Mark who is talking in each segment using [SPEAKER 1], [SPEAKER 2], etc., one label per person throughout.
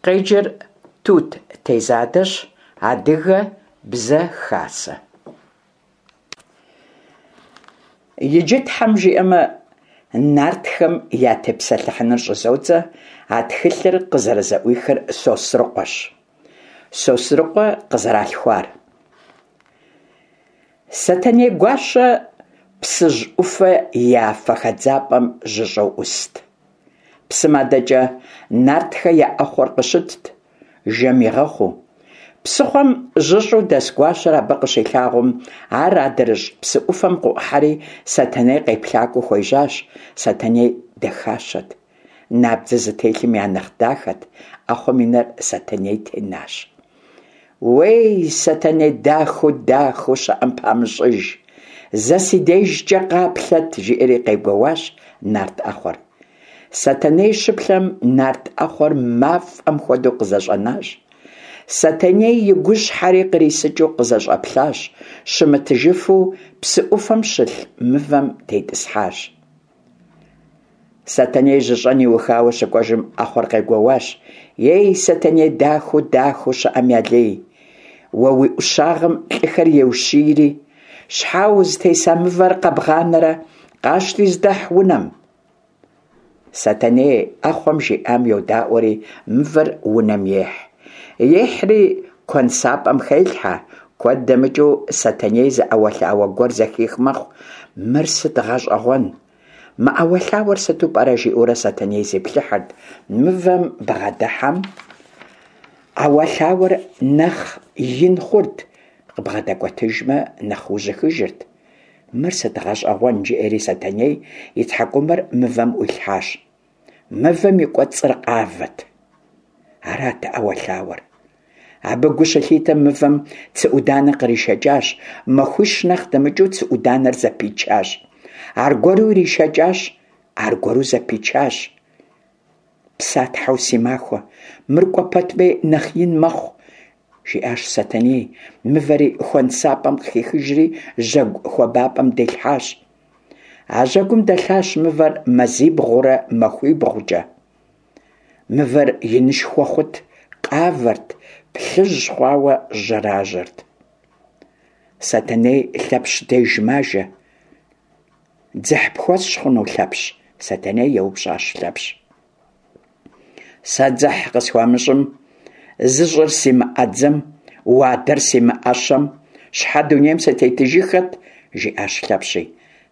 [SPEAKER 1] Къеджэр Тут Тезадэщ, Адыгэ бзэ хасэ. Иджы, Тхьэм жиӏэмэ, нартхэм ятепсэлъыхьыныр щӏызодзэ, а тхылъыр къызэрызэӏуихыр Сосрыкъуэщ. Сосрыкъуэ къызэралъхуар. Сэтэней гуащэ Псыжь ӏуфэ и афэ хэдзапӏэм жьыщӏэу ӏуст. Псым адэкӏэ нартхэ я ӏэхъуэр къыщытт, жэм игъэхъуу. Псыхъуэм жьыщӏэу дэс гуащэр абы къыщилъагъум, ар адрыщӏ псы ӏуфэм къыӏухьэри Сэтэней къеплъакӏуэу хуежьащ. Сэтэней дахащэт. Набдзэ зытелъым я нэхъ дахэт, ӏэхъуэм и нэр Сэтэней тенащ. Уей, Сэтэней дахэу дахэу щыӏэм памыщӏыж, зэ си дежкӏэ къаплъэт, жиӏэри къегуэуащ нарт ӏэхъуэр. Сэтэней щыплъэм нарт ӏэхъуэр мафӏэм хуэдэу къызэщӏэнащ. Сэтэней и гущхьэри кърисыкӏыу къызэщӏэплъащ, щымытыжыфу псы ӏуфэм щылъ мывэм тетӏысхьащ. Сэтэней жьыщӏэн иухауэ щыкӏуэжым ӏэхъуэр къегуэуащ: Ей, Сэтэней дахэу дахэу щыӏэм я лей! Уэ уи ӏущагъым лӏыхэр еущийри, щхьэ узытеса мывэр къэбгъанэрэ, къащти здэхь унэм. Сэтэней ӏэхъуэм жиӏам йодаӏуэри мывэр унэм ехь. Ехьри куэнсапӏэм хелъхьэ. Куэд дэмыкӏыу Сэтэней зы ӏэуэлъауэ гуэр зэхих мэхъу. Мыр сыт гъэщӏэгъуэн? Мы ӏэуэлъауэр сыту пӏэрэ, жиӏэурэ Сэтэней зиплъыхьырт. Мывэм бгъэдыхьэм ӏэуэлъауэр нэхъ ин хъурт, къыбгъэдэкӏуэтыжмэ, нэхъ ужьыхыжырт. Мыр сыт гъэщӏэгъуэн, жиӏэри Сэтэней и тхьэкӏумэр мывэм ӏуилъхьащ. Мывэм и кӏуэцӏыр къавэт. Арат ӏэуэлъауэр. Абы гу щылъитэм мывэм цы ӏуданэ къришэкӏащ, махуищ нэхъ дэмыкӏыу цы ӏуданэр зэпичащ. Аргуэру иришэкӏащ, аргуэру зэпичащ. Псатхьэу си махуэ, мыр кӏуэ пэтми нэхъ ин мэхъу, жиӏащ Сэтэней, мывэри хуэнсапӏэм къыхихыжри жьэгу хуабапӏэм дилъхьащ. А жьэгум дэлъащ мывэр мазибгъурэ махуибгъукӏэ. Мывэр инышхуэ хъут, къавэрт, плъыжь хъуауэ жьэражьэрт. Сэтэней Лъэпщ деж мажэ. Дзыхь пхуэсщӏ хъуну, Лъэпщ? Сэтэней еупщӏащ Лъэпщ. Сэ дзыхь къысхуамыщӏым, зыщӏыр симыӏэдзэм, уадэр симыӏэщэм, щхьэ дунейм сытетыжыххэт, жиӏащ Лъэпщи.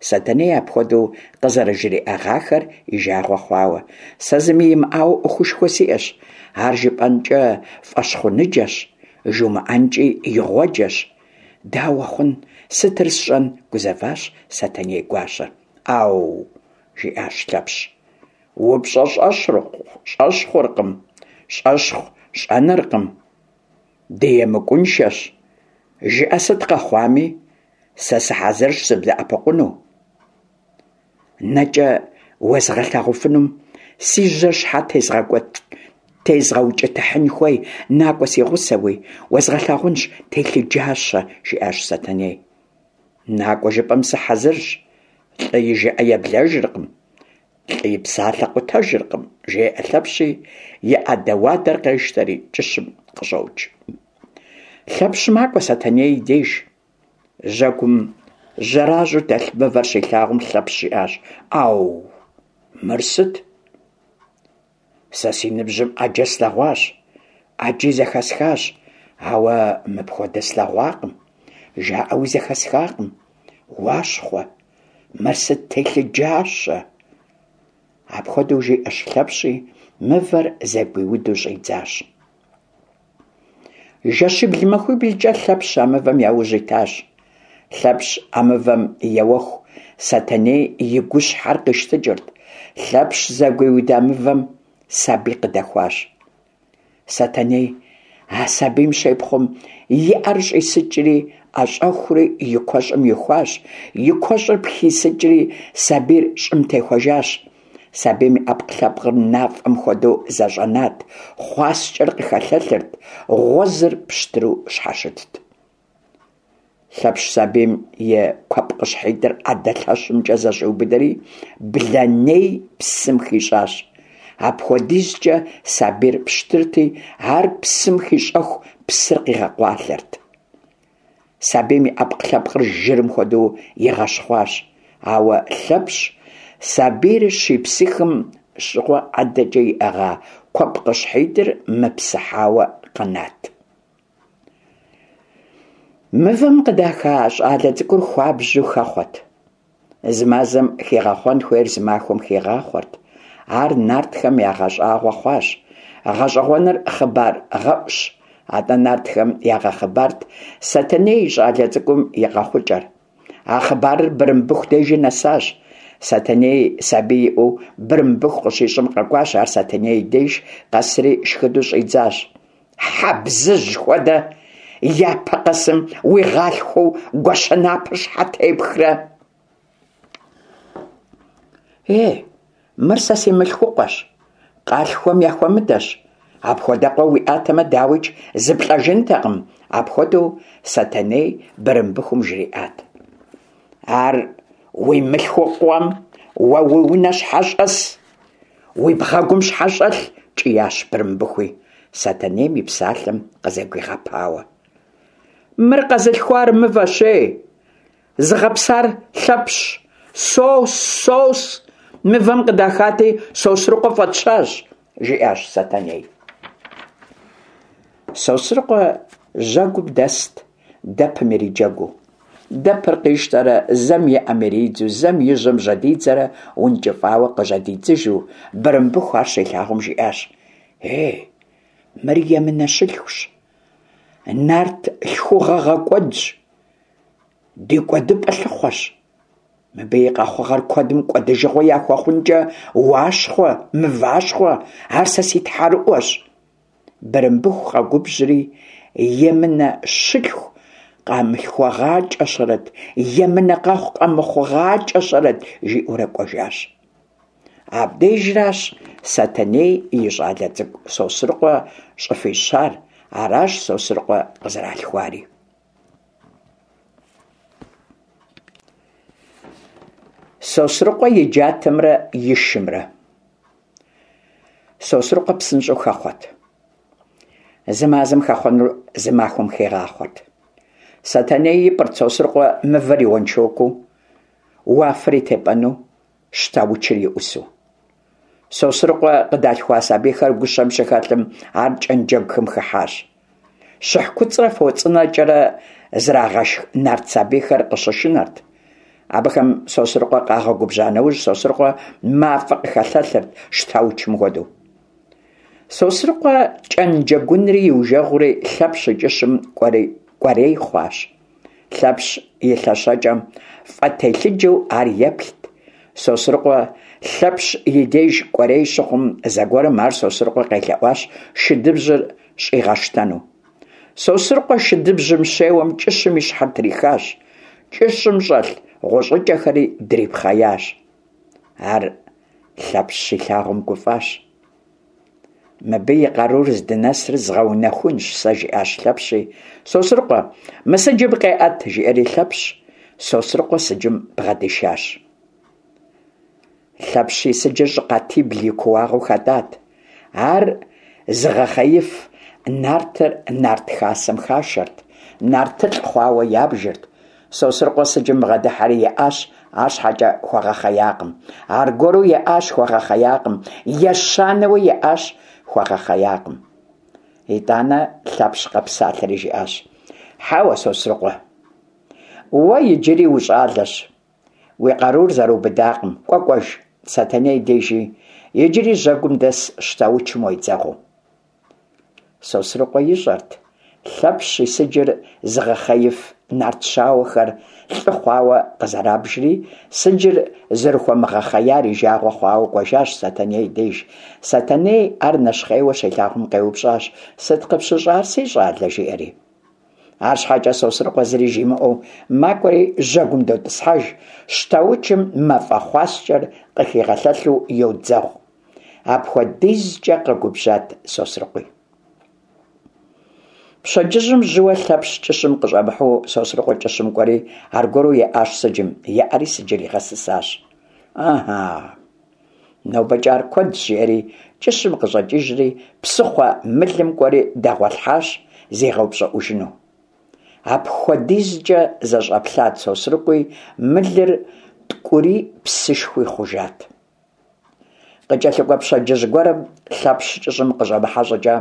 [SPEAKER 1] Сэтэней апхуэдэу къызэрыжриӏэгъахэр и жагъуэ хъуауэ. Сэ зыми имыӏауэ ӏуэхушхуэ сиӏэщ. Ар жыпӏэнкӏэ фӏэщхъуныджэщ, жумыӏэнкӏи игъуэджэщ. Дауэ хъун, сытыр сщӏэн, гузэващ Сэтэней гуащэр. ӏэу, жиӏащ Лъэпщ. Упщӏэ щӏэщхъуркъым, щӏэщхъу щӏэныркъым. Дыемыкӏуншэщ. Жыӏэ сыт къэхъуами, сэ сыхьэзырщ сыбдэӏэпыкъуну. Нэкӏэ уэзгъэлъагъуфынум си жьэр щхьэ тезгъэукӏытыхьын хуей, накӏуэ си гъусэуи, уэзгъэлъагъунщ телъыджащэ, жиӏащ Сэтэней. Накӏуэ жыпӏэм сыхьэзырщ, лӏы и жыӏэ еблэжыркъым. Лӏы и псалъэ къутэжыркъым, жеӏэ Лъэпщи, и ӏэдэ-уадэр къещтэри кӏыщым къыщӏокӏ. Лъэпщ макӏуэ Сэтэней и деж. Жьэгум жьэражьэу дэлъ мывэр щилъагъум Лъэпщ жиӏащ: Ӏэу, мыр сыт? Сэ си ныбжьым ӏэджэ слъэгъуащ, ӏэджи зэхэсхащ, ауэ мыпхуэдэ слъэгъуакъым, жаӏэуи зэхэсхакъым. Уащхъуэ, мыр сыт телъыджащэ! Апхуэдэу жиӏэщ Лъэпщи, мывэр зэгуиуду щӏидзащ. Жэщибл-махуиблкӏэ Лъэпщ а мывэм яужь итащ. Лъэпщ а мывэм еуэху Сэтэней и гущхьэр къищтыкӏырт. Лъэпщ зэгуиуда мывэм сабий къыдэхуащ. Сэтэней а сабийм щепхъуэм и ӏэр щӏисыкӏри, ӏэщӏэхури и куэщӏым ихуащ, и куэщӏыр пхисыкӏри сабийр щӏым техуэжащ. Сабийм и ӏэпкълъэпкъыр нафӏэм хуэдэу зэщӏэнат, хъуаскӏэр къыхэлъэлъырт, гъуэзыр пщтыру щхьэщытт. Лъэпщ сабийм и куэпкъыщхьитӏыр ӏэдэ лъэщымкӏэ зэщӏиубыдэри, блэней псым хищӏащ. Апхуэдизкӏэ сабийр пщтырти, ар псым хищӏэху псыр къигъэкъуалъэрт. Сабийм и ӏэпкълъэпкъыр жырым хуэдэу игъэщхъуащ. Ауэ Лъэпщ сабийр щипсыхым щыгъуэ ӏэдэкӏэ иӏыгъа куэпкъыщхьитӏыр мыпсыхьауэ къэнат. Мывэм къыдаха щӏалэ цӏыкӏур хуабжьу хэхъуэт. Зы мазэм хигъэхъуэн хуейр зы махуэм хигъахъуэрт. Ар нартхэм ягъэщӏагъуэ хъуащ. Гъэщӏэгъуэныр хъыбар гъэӏущ. Атӏэ нартхэм ягъэхъыбарт Сэтэней и щӏалэ цӏыкӏум и къэхъукӏэр. А хъыбарыр Бырымбыху дежи нэсащ. Сэтэней сабий иӏэу Бырымбыху къыщищӏэм къэкӏуащ ар Сэтэней и деж, къэсри шхыдэу щӏидзащ. Хьэбзыжь хуэдэ, япэ къэсым уигъалъхуэу гуащэ напэр щхьэ тепхрэ? Е, мыр сэ си мылъхукъуэщ, къалъхуэм яхуэмыдэщ. Апхуэдэкъуэ уиӏатэмэ, дауикӏ, зыплӏэжынтэкъым, апхуэдэу Сэтэней Бырымбыхум жриӏат. Ар уи мылъхукъуэм уэ уи унэ щхьэ щӏэс? Уи бгъэгум щхьэ щӏэлъ? кӏиящ Бырымбыхуи, Сэтэнейм и псалъэм къызэгуигъэпауэ. Мыр къэзылъхуар мывэщ, ей! Зыгъэпсар Лъэпщщ. Сос, сос! Мывэм къыдахати, Сосрыкъуэ фӏэтщащ, жиӏащ Сэтэней. Сосрыкъуэ жьэгум дэст, дэпым ириджэгуу. Дэпыр къищтэрэ зэм и ӏэм иридзу, зэм и жьэм жьэдидзэрэ ункӏыфӏауэ къыжьэдидзыжу, Бырымбыху ар щилъагъум жиӏащ, Ей, мыр емынэ щылъхущ, нарт лъхугъэ гъэкӏуэдщ, ди кӏуэдыпӏэ лъыхъуэщ. Мыбы и къэхъугъэр куэдым кӏуэдыжыгъуэ яхуэхъункӏэ уащхъуэ, мыващхъуэ, ар сэ си тхьэрыӏуэщ. Бырымбыху къэгубжьри, емынэ щылъху къамылъхугъакӏэщэрэт, емынэ къэхъу къэмыхъугъакӏэщэрэт, жиӏэурэ кӏуэжащ. Абдежращ Сэтэней и щӏалэ цӏыкӏу Сосрыкъуэ щӏыфӏищар, аращ Сосрыкъуэ къызэралъхуари. Сосрыкъуэ и джатэмрэ и шымрэ. Сосрыкъуэ псынщӏэу хэхъуэт. Зы мазэм хэхъуэнур зы махуэм хигъахъуэрт. Сэтэней ипӏырт Сосрыкъуэ мывэр и уэншокуу, уафэр и тепӏэну, щтаучыр и ӏусу. Сосрыкъуэ къыдалъхуа сабийхэр гущэм щыхэлъым ар кӏэнджэгухэм хыхьащ. Щыхь куцӏрэ фо цӏынэкӏэрэ зрагъэшх нарт сабийхэр къыщышынэрт. Абыхэм Сосрыкъуэ къагъэгубжьа нэужь, Сосрыкъуэ мафӏэ къыхэлъэлъырт щтаучым хуэдэу. Сосрыкъуэ кӏэнджэгунри иужэгъури Лъэпщ и кӏыщым кӏуэрей хъуащ. Лъэпщ и лъэщэкӏэм фӏэтелъыджэу ар еплът. Сосрыкъуэ Лъэпщ и деж кӏуэрей щыхъум, зэгуэрым ар Сосрыкъуэ къелъэӏуащ шыдыбжьыр щӏигъэщтэну. Сосрыкъуэ шыдыбжьым щеуэм кӏыщым и щхьэр трихащ, кӏыщым щӏэлъ гъущӏыкӏэхэри дрипхъеящ. Ар Лъэпщ щилъагъум гуфӏащ. Мыбы и къарур здынэсыр згъэунэхунщ сэ, жиӏащ Лъэпщи. Сосрыкъуэ, мы сыджым къеӏэт, жиӏэри Лъэпщ Сосрыкъуэ сыджым бгъэдишащ. Лъэпщ и сыджыр щӏыкъатибл и кууагъыу хэтӏат. Ар зыгъэхъеиф нартыр нарт хасэм хашэрт, нартылӏ хъуауэ ябжырт. Сосрыкъуэ сыджым бгъэдыхьэри еӏащ, арщхьэкӏэ хуэгъэхъеякъым. Аргуэру еӏащ, хуэгъэхъеякъым. Ещанэуи еӏащ, хуэгъэхъеякъым. Итӏанэ Лъэпщ къэпсалъэри жиӏащ: Хьэуэ, Сосрыкъуэ, уэ иджыри ущӏалэщ. Уи къарур зэрыубыдакъым, кӏуэ кӏуэж, Сэтэней дежи, иджыри жьэгум дэс щтаучым уедзэгъуу. Сосрыкъуэ ищӏэрт Лъэпщ и сыджыр зыгъэхъеиф нарт щауэхэр лӏы хъуауэ къызэрабжри, сыджыр зэрыхуэмыгъэхъеяр и жагъуэ хъуауэ кӏуэжащ Сэтэней деж. Сэтэней ар нэщхъейуэ щилъагъум къеупщӏащ, Сыт къыпщыщӏар, си щӏалэ? жиӏэри. Арщхьэкӏэ Сосрыкъуэ зыри жимыӏэу макӏуэри жьэгум дотӏысхьэж, щтаучым мафӏэ хъуаскӏэр къыхигъэлъэлъу йодзэгъу. Апхуэдизкӏэ къэгубжьат Сосрыкъуи. Пщэдджыжьым жьыуэ Лъэпщ кӏыщым къыщӏэмыхьэу Сосрыкъуэ кӏыщым кӏуэри аргуэру еӏащ сыджым, еӏэри сыджыр игъэсысащ. Ыхьа! Нобэкӏэ ар куэдщ, жиӏэри, кӏыщым къыщӏэкӏыжри, псыхъуэ мылым кӏуэри дэгъуэлъхьащ, зигъэупщӏыӏужыну. Апхуэдизкӏэ зэщӏэплъат Сосрыкъуи, мылыр ткӏури псышхуи хъужат. Къыкӏэлъыкӏуэ пщэдджыжь гуэрым Лъэпщ кӏыщым къыщӏэмыхьэ щӏыкӏэ,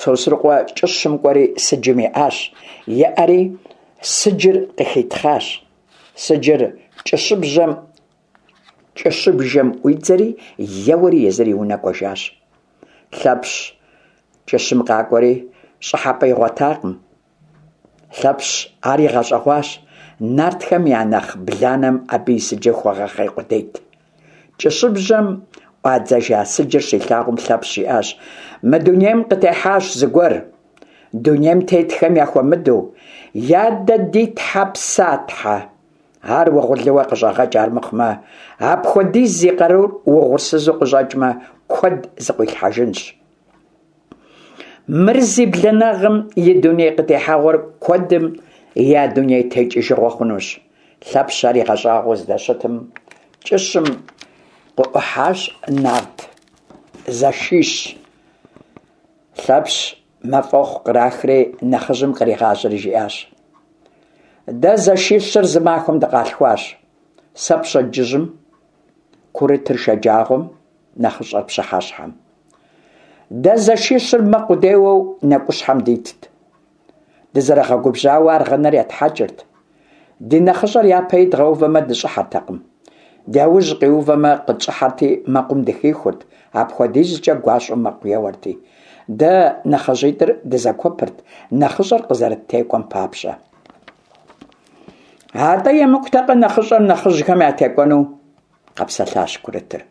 [SPEAKER 1] Сосрыкъуэ кӏыщым кӏуэри сыджым еӏащ. Еӏэри сыджыр къыхитхъащ. Сыджыр кӏыщыбжьэм кӏыщыбжэм ӏуидзэри, еуэри езыр и унэ кӏуэжащ. Лъэпщ кӏыщым къакӏуэри щӏыхьэпӏэ игъуэтакъым. Лъэпщ ар игъэщӏэгъуащ, нартхэм я нэхъ бланэм абы и сыджыр хуэгъэхъей къудейт. Кӏыщыбжьэм ӏуадзэжа сыджыр щилъагъум Лъэпщ жиӏащ, Мы дунейм къытехьащ зыгуэр, дунейм тетхэм яхуэмыдэу, ядэ ди тхьэ Псатхьэ. Ар угъурлыуэ къыщӏэгъэкӏ армыхъумэ, апхуэдиз зи къарур угъурсызу къыщӏэкӏмэ, куэд зыкъуилъхьэжынщ. Мыр зи бланагъым и дуней къытехьэгъуэр куэдым я дуней текӏыжыгъуэ хъунущ. Лъэпщ ар игъэщӏагъуэу здэщытым, кӏыщым къыӏухьащ нарт зэшищ. Лъэпщ мафӏэхъу кърахри нэхъыжьым къригъажьэри жиӏащ. Дэ зэшищыр зы махуэм дыкъалъхуащ. Сэ пщэдджыжьым, курытыр шэджагъуэм, нэхъыщӏэр пщыхьэщхьэм. Дэ зэшищыр мэкъу деуэу нэкӏущхьэм дитт. Дызэрыгъэгубжьауэ аргъынэр етхьэкӏырт. Ди нэхъыщӏэр япэ идгъэувэмэ, дыщӏыхьэртэкъым. Дяужь къиувэмэ, къытщӏыхьэрти, мэкъум дыхихурт, апхуэдизкӏэ гуащӏэу мэкъу еуэрти. Дэ нэхъыжьитӏыр дызэгуэпырт, нэхъыщӏэр къызэрыттекӏуэм папщӏэ. Атӏэ емыкӏутэкъэ нэхъыщӏэр нэхъыжьхэм ятекӏуэну? къэпсэлъащ курытыр.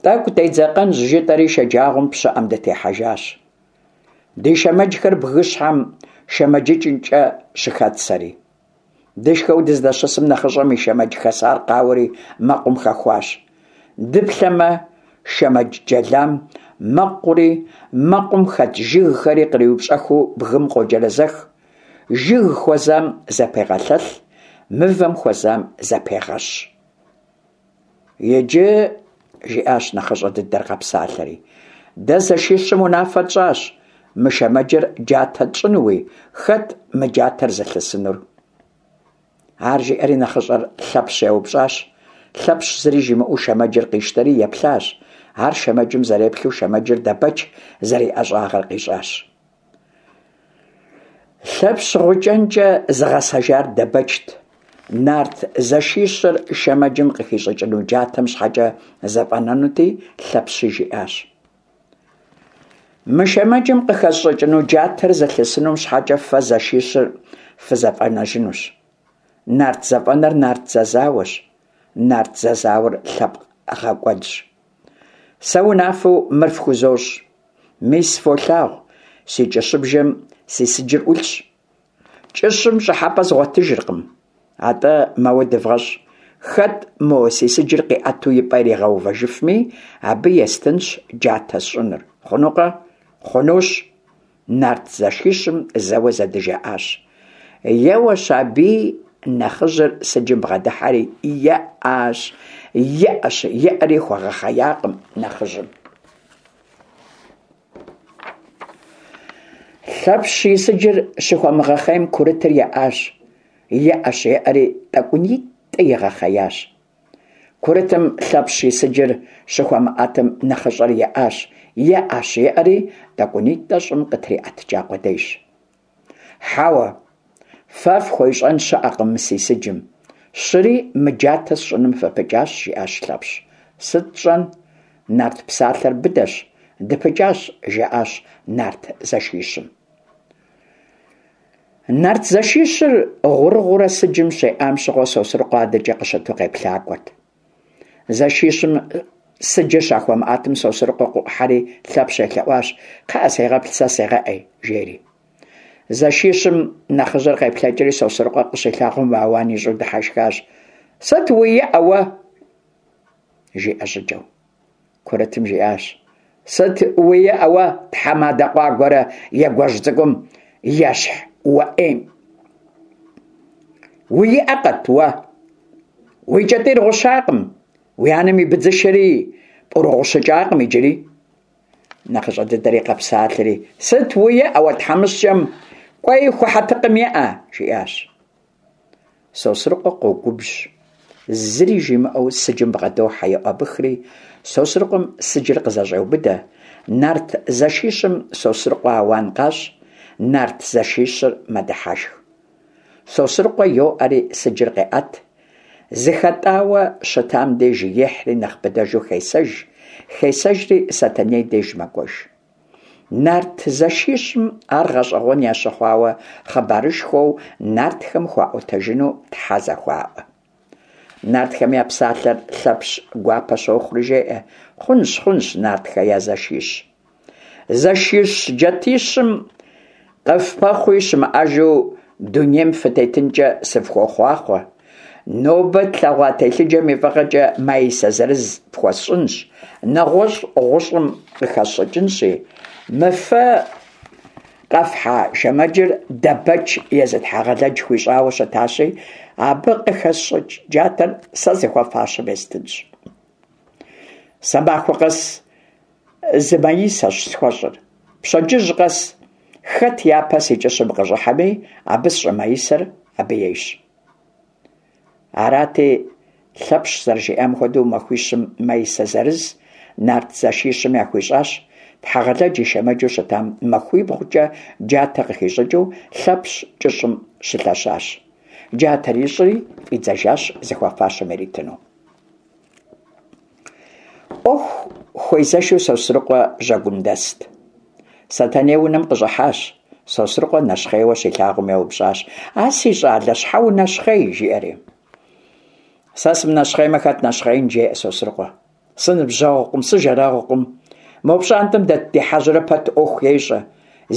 [SPEAKER 1] Тӏэкӏу дедзэкъэнщ, жытӏэри шэджагъуэм пщыӏэм дытехьэжащ. Ди шэмэджхэр бгыщхьэм шэмэджыкӏынкӏэ щыхэтсэри. Дышхэу дыздэщысым нэхъыщӏэм и шэмэдж хэсар къауэри мэкъум хэхуащ. Дыплъэмэ, шэмэдж джэлам мэкъури, мэкъум хэт жыгхэри къриупщӏэхыу бгым къоджэрэзэх. Жыг хуэзам зэпегъэлъэлъ, мывэм хуэзам зэпегъэщ. Иджы, жиӏащ нэхъыщӏэ дыдэр къэпсалъэри, дэ зэшищым унафэ тщӏащ мы шэмэджыр джатэ тщӏынуи, хэт мы джатэр зылъысынур? Ар жиӏэри нэхъыщӏэр Лъэпщ еупщӏащ. Лъэпщ зыри жимыӏэу шэмэджыр къищтэри еплъащ. Ар шэмэджым зэреплъу шэмэджыр Дэбэч зэриӏэщӏагъэр къищӏащ. Лъэпщ гъукӏэнкӏэ зыгъэсэжар Дэбэчт. Нарт зэшищыр шэмэджым къыхищӏыкӏыну джатэм щхьэкӏэ зэфӏэнэнути, Лъэпщи жиӏащ. Мы шэмэджым къыхэсщӏыкӏыну джатэр зылъысынум щхьэкӏэ фэ зэшищыр фызэфӏэнэжынущ. Нарт зэфӏэнэр нарт зэзауэщ, нарт зэзауэр лъэпкъ гъэкӏуэдщ. Сэ унафэу мыр фхузощӏ. Мис фолъагъу, си кӏыщыбжэм си сыджыр ӏулъщ. Кӏыщым щӏыхьэпӏэ згъуэтыжыркъым. Атӏэ, мэуэ дывгъэщӏ. Хэт мо си сыджыр къиӏэту и пӏэ иригъэувэжыфми, абы естынщ джатэ сщӏынур. Хъунукъэ? Хъунущ! Нарт зэшищым зэуэ зэдыжаӏащ. Еуэщ аби, нэхъыжьыр сыджым бгъэдыхьэри, еӏащ, еӏэщ, еӏэри хуэгъэхъеякъым нэхъыжьым. Лъэпщ и сыджыр щыхуэмыгъэхъейм курытыр еӏащ, еӏэщ, еӏэри тӏэкӏунитӏэ игъэхъеящ. Курытым Лъэпщ и сыджыр щыхуэмыӏэтым нэхъыщӏэр еӏащ, еӏэщ, еӏэри тӏэкӏунитӏэ щӏым къытриӏэтыкӏа къудейщ. Хьэуэ, фэ фхуещӏэн щыӏэкъым мы си сыджым. Щыри мы джатэ сщӏыным фыпыкӏащ, жиӏащ Лъэпщ. Сыт тщӏэн? Нарт псалъэр быдэщ, дыпыкӏащ, жаӏащ нарт зэшищым. Нарт зэшищыр гъурыгъуурэ сыджым щеӏам щыгъуэ Сосрыкъуэ адэкӏэ къыщыту къеплъакӏуэрт. Зэшищым сыджыр щахуэмыӏэтым Сосрыкъуэ къыӏухьэри Лъэпщ елъэӏуащ, Кхъыӏэ, сегъэплъ, сэ сегъэӏей, жери. Зэшищым нэхъыжьыр къеплъэкӏри Сосрыкъуэ къыщилъагъум ауан ищӏу дыхьэшхащ. Сыт уи иӏэ уэ? жиӏэ щӏыкӏэу. Курытым жиӏащ, Сыт уи иӏэ уэ, тхьэмадэ къуагуэрэ егуэжь цӏыкӏум ещхь уэ ӏейм? Уи иӏэ къэт уэ? Уи кӏэтӏийр гъущакъым. Уи анэм и быдзышэри пӏурыгъущыкӏакъым иджыри. Нэхъыщӏэ дыдэри къэпсалъэри, Сыт уеӏэ уэ тхьэмыщкӏэм, кӏуэи ху хьэтыкъым еӏэ, жиӏащ. Сосрыкъуэ къогубжь. Зыри жимыӏэу сыджым бгъэдохьэ, йоӏэбыхри, Сосрыкъуэм сыджыр къызэщӏеубыдэ. Нарт зэшищым Сосрыкъуэ ауан къащӏ, нарт зэшищыр мэдыхьэшх. Сосрыкъуэ йоӏэри сыджыр къеӏэт. Зыхэтӏауэ щытам деж ехьри нэхъ быдэжу хесэж, хесэжри Сэтэней деж мэкӏуэж. Нарт зэшищым ар гъэщӏэгъуэн ящыхъуауэ хъыбарышхуэу нартхэм хуаӏуэтэжыну тхьэ зэхуаӏуэ. Нартхэм я псалъэр Лъэпщ гуапэ щохъури жеӏэ, Хъунщ, хъунщ, нартхэ я зэшищ. Зэшищ джатищым къыфпэхъуи щымыӏэжу дунейм фытетынкӏэ сыфхуохъуахъуэ. Нобэ тлъэгъуа телъыджэм и фӏыгъэкӏэ маисэ зырыз фхуэсщӏынщ, нэгъуэщӏ гъущӏым къыхэсщӏыкӏынщи, мы фэ къэфхьа шэмэджыр Дэбэч езы Тхьэгъэлэдж хуищӏауэ щытащи, абы къыхэсщӏыкӏ джатэр сэ зыхуэфащэм естынщ. Сэ махуэ къэс зы маисэщ схуэщӏыр. Пщэдджыжь къэс хэт япэ си кӏыщым къыщӏыхьэми, абы сщӏы маисэр абы ейщ. Арати, Лъэпщ зэрыжиӏам хуэдэу махуищым маисэ зырыз нарт зэшищым яхуищӏащ. Тхьэгъэлэдж и шэмэджу щытам махуибгъукӏэ джатэ къыхищӏыкӏыу Лъэпщ кӏыщым щылъэщащ. Джатэр ищӏри, фӏидзэжащ зыхуэфащэм иритыну. ӏуэху хуезэшу Сосрыкъуэ жьэгум дэст. Сэтэней унэм къыщӏыхьащ. Сосрыкъуэ нэщхъейуэ щилъагъум еупщӏащ: А си щӏалэ, щхьэ унэщхъей? жиӏэри. Сэ сымынэщхъеймэ, хэт нэщхъеин? жеӏэ Сосрыкъуэ. Сыныбжьэгъукъым, сыжэрэгъукъым. Мо пщӏантӏэм дэт ди хьэжьрэ пэт ӏуэху ещӏэ.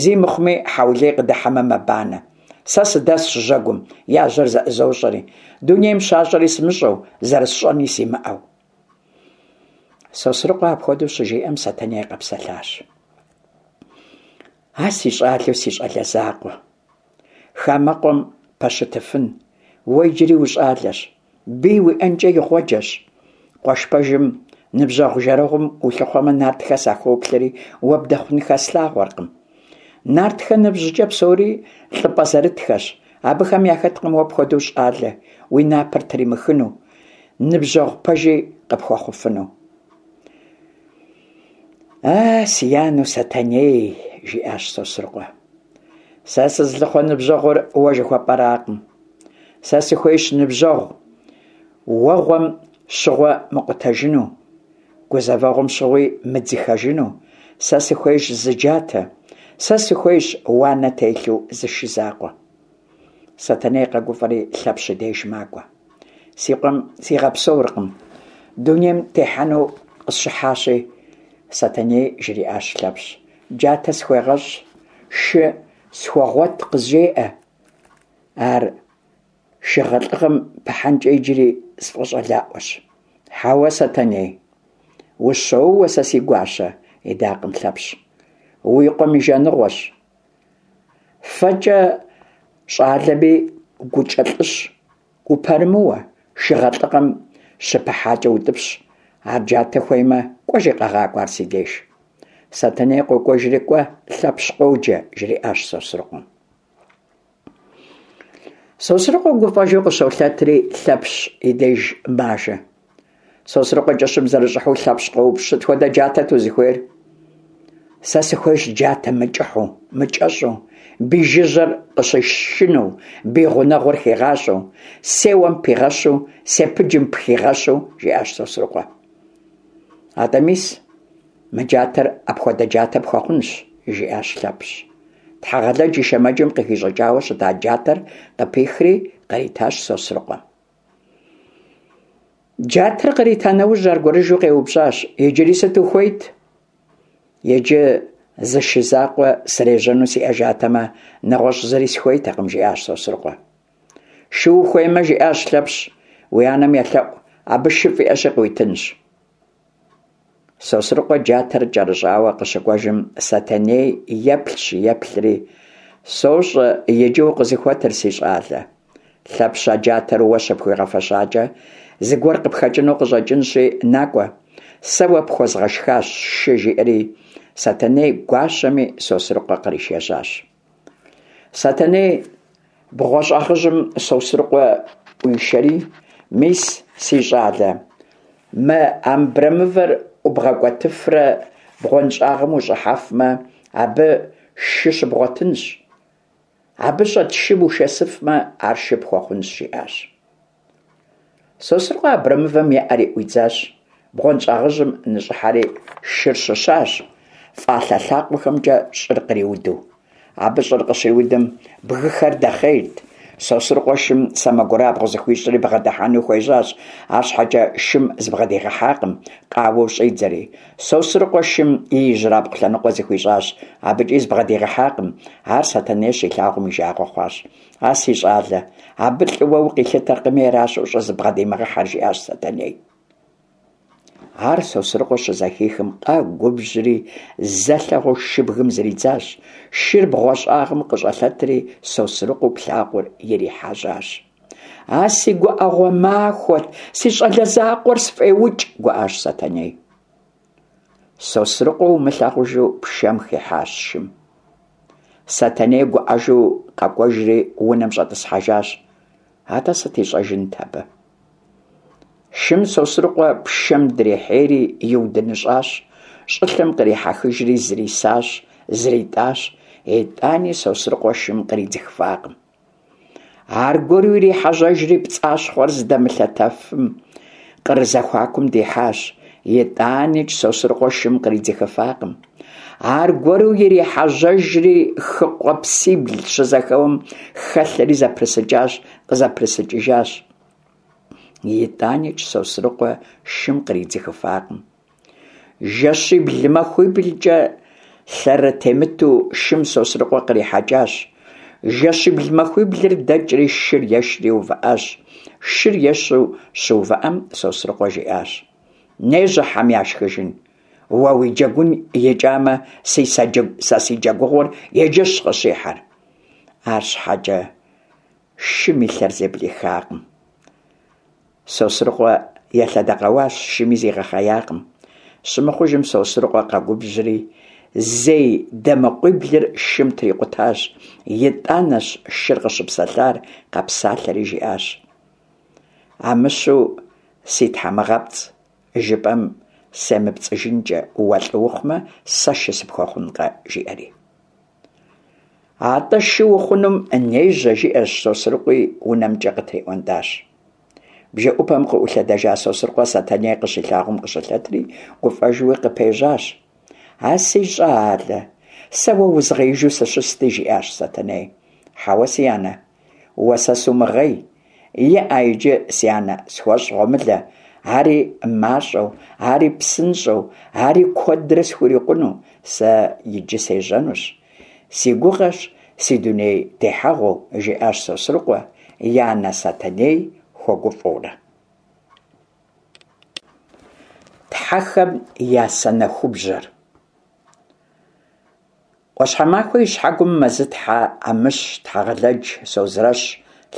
[SPEAKER 1] Зи мыхъуми, хьэулей къыдыхьэмэ мэбанэ. Сэ сыдэсщ жьэгум, я жьэр зэӏызощӏэри, дунейм щащӏэри сымыщӏэу, зэрысщӏэни симыӏэу. Сосрыкъуэ апхуэдэу щыжиӏэм, Сэтэней къэпсэлъащ. А си щӏалэу си щӏалэ закъуэ, хамэкъуэм пэщытыфын, уэ иджыри ущӏалэщ, бий уиӏэнкӏэ игъуэджэщ. Къуэш пэжым, ныбжьэгъу-жэрэгъум улъыхъуэмэ, нартхэ сахоплъэри, уэ бдэхъун хэслъагъуэркъым. Нартхэ ныбжькӏэ псори лӏыпӏэ зэрытхэщ, абыхэм яхэткъым уэ пхуэдэу щӏалэ, уи напэр тримыхыну, ныбжьэгъу пэжи къыпхуэхъуфыну. А, си анэу Сэтэней, жиӏащ Сосрыкъуэ. Сэ сызылъыхъуэ ныбжьэгъур уэ жыхуэпӏэракъым. Сэ сыхуейщ ныбжьэгъу, уэгъуэм щыгъуэ мыкъутэжыну, гузэвэгъуэм щыгъуи мыдзыхэжыну. Сэ сыхуейщ зы джатэ, сэ сыхуейщ уанэ телъу зы шы закъуэ. Сэтэней къэгуфӏэри Лъэпщ и деж макӏуэ. Си къуэм сигъэпсэуркъым, дунейм техьэну къысщыхьащи, Сэтэней жриӏащ Лъэпщ. Джатэ схуегъэщӏ, шы схуэгъуэт къызжеӏэ. Ар шыгъэлӏыгъэм пыхьэнкӏэ иджыри сфӏэщӏэлаӏуэщ. Хьэуэ, Сэтэней, ущоуэ сэ си гуащэ, идакъым Лъэпщ. Уи къуэм и жаныгъуэщ. Фэкӏэ щӏалэми гукӏэ лӏыщ, упэрымыуэ, шыгъэлӏыгъэм щыпыхьакӏэ утӏыпщ. Ар джатэ хуеймэ, кӏуэжи къэгъакӏуэ ар си деж. Сэтэней къокӏуэжри, кӏуэ, Лъэпщ къоджэ, жриӏащ Сосрыкъуэм. Сосрыкъуэ гуфӏэжу къыщолъэтри, Лъэпщ и деж мажэ. Сосрыкъуэ кӏыщым зэрыщӏыхьэу Лъэпщ къоупщӏ, сыт хуэдэ джатэт узыхуейр? Сэ сыхуейщ джатэ мыкӏыхьу, мыкӏэщӏу, бий жыжьэр къыщышыну, бий гъунэгъур хигъащӏэу, сеуэм пигъэщу, сепыджым пхигъэщу, жиӏащ Сосрыкъуэ. Атӏэ мис, мы джатэр апхуэдэ джатэ пхуэхъунщ, жиӏащ Лъэпщ. Тхьэгъэлэдж и шэмэджым къыхищӏыкӏауэ щыта джатэр къыпихри къритащ Сосрыкъуэ. Джатэр кърита нэужь аргуэрыжу къеупщӏащ, иджыри сыт ухуейт? Иджы зы шы закъуэ срежьэну сиӏэжатэмэ, нэгъуэщӏ зыри сыхуейтэкъым, жиӏащ Сосрыкъуэ. Шы ухуеймэ, жиӏащ Лъэпщ, уи анэм елъэӏу, абы шыфӏ иӏэщи къыуитынщ. Сосрыкъуэ джатэр кӏэрыщӏауэ къыщыкӏуэжым, Сэтэней еплъщ-еплъри, Сощӏэ иджы укъызыхуэтыр, си щӏалэ. Лъэпщ а джатэр уэ щыпхуигъэфэщакӏэ, Зыгуэр къыпхэкӏыну къыщӏэкӏынщи, накӏуэ, сэ уэ пхуэзгъэшхащ шы, жиӏэри Сэтэней гуащэми Сосрыкъуэ къришэжьащ. Сэтэней бгъуэщӏагъыжьым Сосрыкъуэ ӏуишэри, Мис, си щӏалэ, мы абрэмывэр ӏубгъэкӏуэтыфрэ бгъуэнщӏагъым ущӏыхьэфмэ, абы шы щыбгъуэтынщ. Абы щӏэт шым ушэсыфмэ, ар шы пхуэхъунщ, жиӏащ. Сосрыкъуэ абрэмывэм еӏэри ӏуидзащ, бгъуэнщӏагъыжьым ныщӏыхьэри шыр щыщащ, фӏалъэ лъакъуэхэмкӏэ щӏыр къриуду. Абы щӏыр къыщриудым, бгыхэр дэхъейрт. Сосрыкъуэ шым сэмэгурабгъу зыхуищӏри бгъэдыхьэну хуежьащ, арщхьэкӏэ шым зыбгъэдигъэхьакъым, къауэу щӏидзэри. Сосрыкъуэ шым и ижьрабгъу лъэныкъуэ зыхуищӏащ, абыкӏи зыбгъэдигъэхьакъым. Ар Сэтэней щилъагъум и жагъуэ хъуащ. А си щӏалэ, абы лӏыуэ укъилъытэркъыми аращ ущӏызыбгъэдимыгъэхьэр, жиӏащ Сэтэней. Ар Сосрыкъуэ щызэхихым къэгубжьри, зэ лъэгъуэу шыбгым зридзащ. Шыр бгъуэщӏагъым къыщӏэлъэтри, Сосрыкъуэу плъагъур ирихьэжьащ. А си гуӏэгъуэ махуэт, си щӏалэ закъуэр сфӏеукӏ, гуӏащ Сэтэней. Сосрыкъуэ умылъагъужу пшэм хихьащ шым. Сэтэней гуӏэжу къэкӏуэжри унэм щӏэтӏысхьэжащ. Атӏэ сыт ищӏэжынт абы? Шым Сосрыкъуэ пшэм дрихьейри иудыныщӏащ, щӏылъэм кърихьэхыжри зрисащ, зритӏащ, итӏани Сосрыкъуэ шым къридзыхыфакъым. Аргуэру ирихьэжьэжри пцӏащхъуэр зыдэмылъэтэфым къыр зэхуакум дихьащ, итӏаникӏ Сосрыкъуэ шым къридзыхыфакъым. Аргуэру ирихьэжьэжри хы къуэпсибл щызэхэуэм хэлъэри зэпрысыкӏащ, къызэпрысыкӏыжащ. Итӏаникӏ Сосрыкъуэ шым къридзыхыфакъым. Жэщибл-махуиблкӏэ лъэрытемыту шым Сосрыкъуэ кърихьэкӏащ. Жэщибл-махуиблыр дэкӏри шыр ешри увыӏащ. Шыр ешу щыувыӏэм Сосрыкъуэ жиӏащ: Нежьэ, хьэм яшхыжын! Уэ уи джэгун икӏамэ, сэ си джэгугъуэр иджыщ къыщихьэр. Арщхьэкӏэ шым и лъэр зэблихакъым. Сосрыкъуэ елъэдэкъэуащ, шыми зигъэхъеякъым. Щымыхъужым Сосрыкъуэ къэгубжьри, зей дамэкъуиблыр шым трикъутащ. Итӏанэщ шыр къыщыпсэлъар, къэпсалъэри жиӏащ: Амыщу си тхьэмыгъэпцӏ, жыпӏэм семыпцӏыжынкӏэ, уэ лӏы ухъумэ, сэ шы сыпхуэхъункъэ, жиӏэри. Атӏэ шы ухъунум нежьэ, жиӏэщ Сосрыкъуи унэмкӏэ къытриӏуэнтӏащ. Бжэӏупэм къыӏулъэдэжа Сосрыкъуэ Сэтэней къыщилъагъум къыщылъэтри, гуфӏэжуи къыпежьащ. А си щӏалэ, сэ уэ узгъеижу сыщысти, жиӏащ Сэтэней. Хьэуэ, си анэ, уэ сэ сумыгъей. Иӏэ иджы, си анэ, схуэщӏ гъуэмылэ, ари мащӏэу, ари псынщӏэу, ари куэдрэ схурикъуну, сэ иджы сежьэнущ. Си гугъэщ си дуней техьэгъуэу, жиӏащ Сосрыкъуэ, и анэ Сэтэней хуэгуфӏэурэ. Тхьэхэм я санэхубжьэр. ӏуащхьэмахуэ и щхьэгум Мэзытхьэ, Амыщ, Тхьэгъэлэдж, Созрэщ,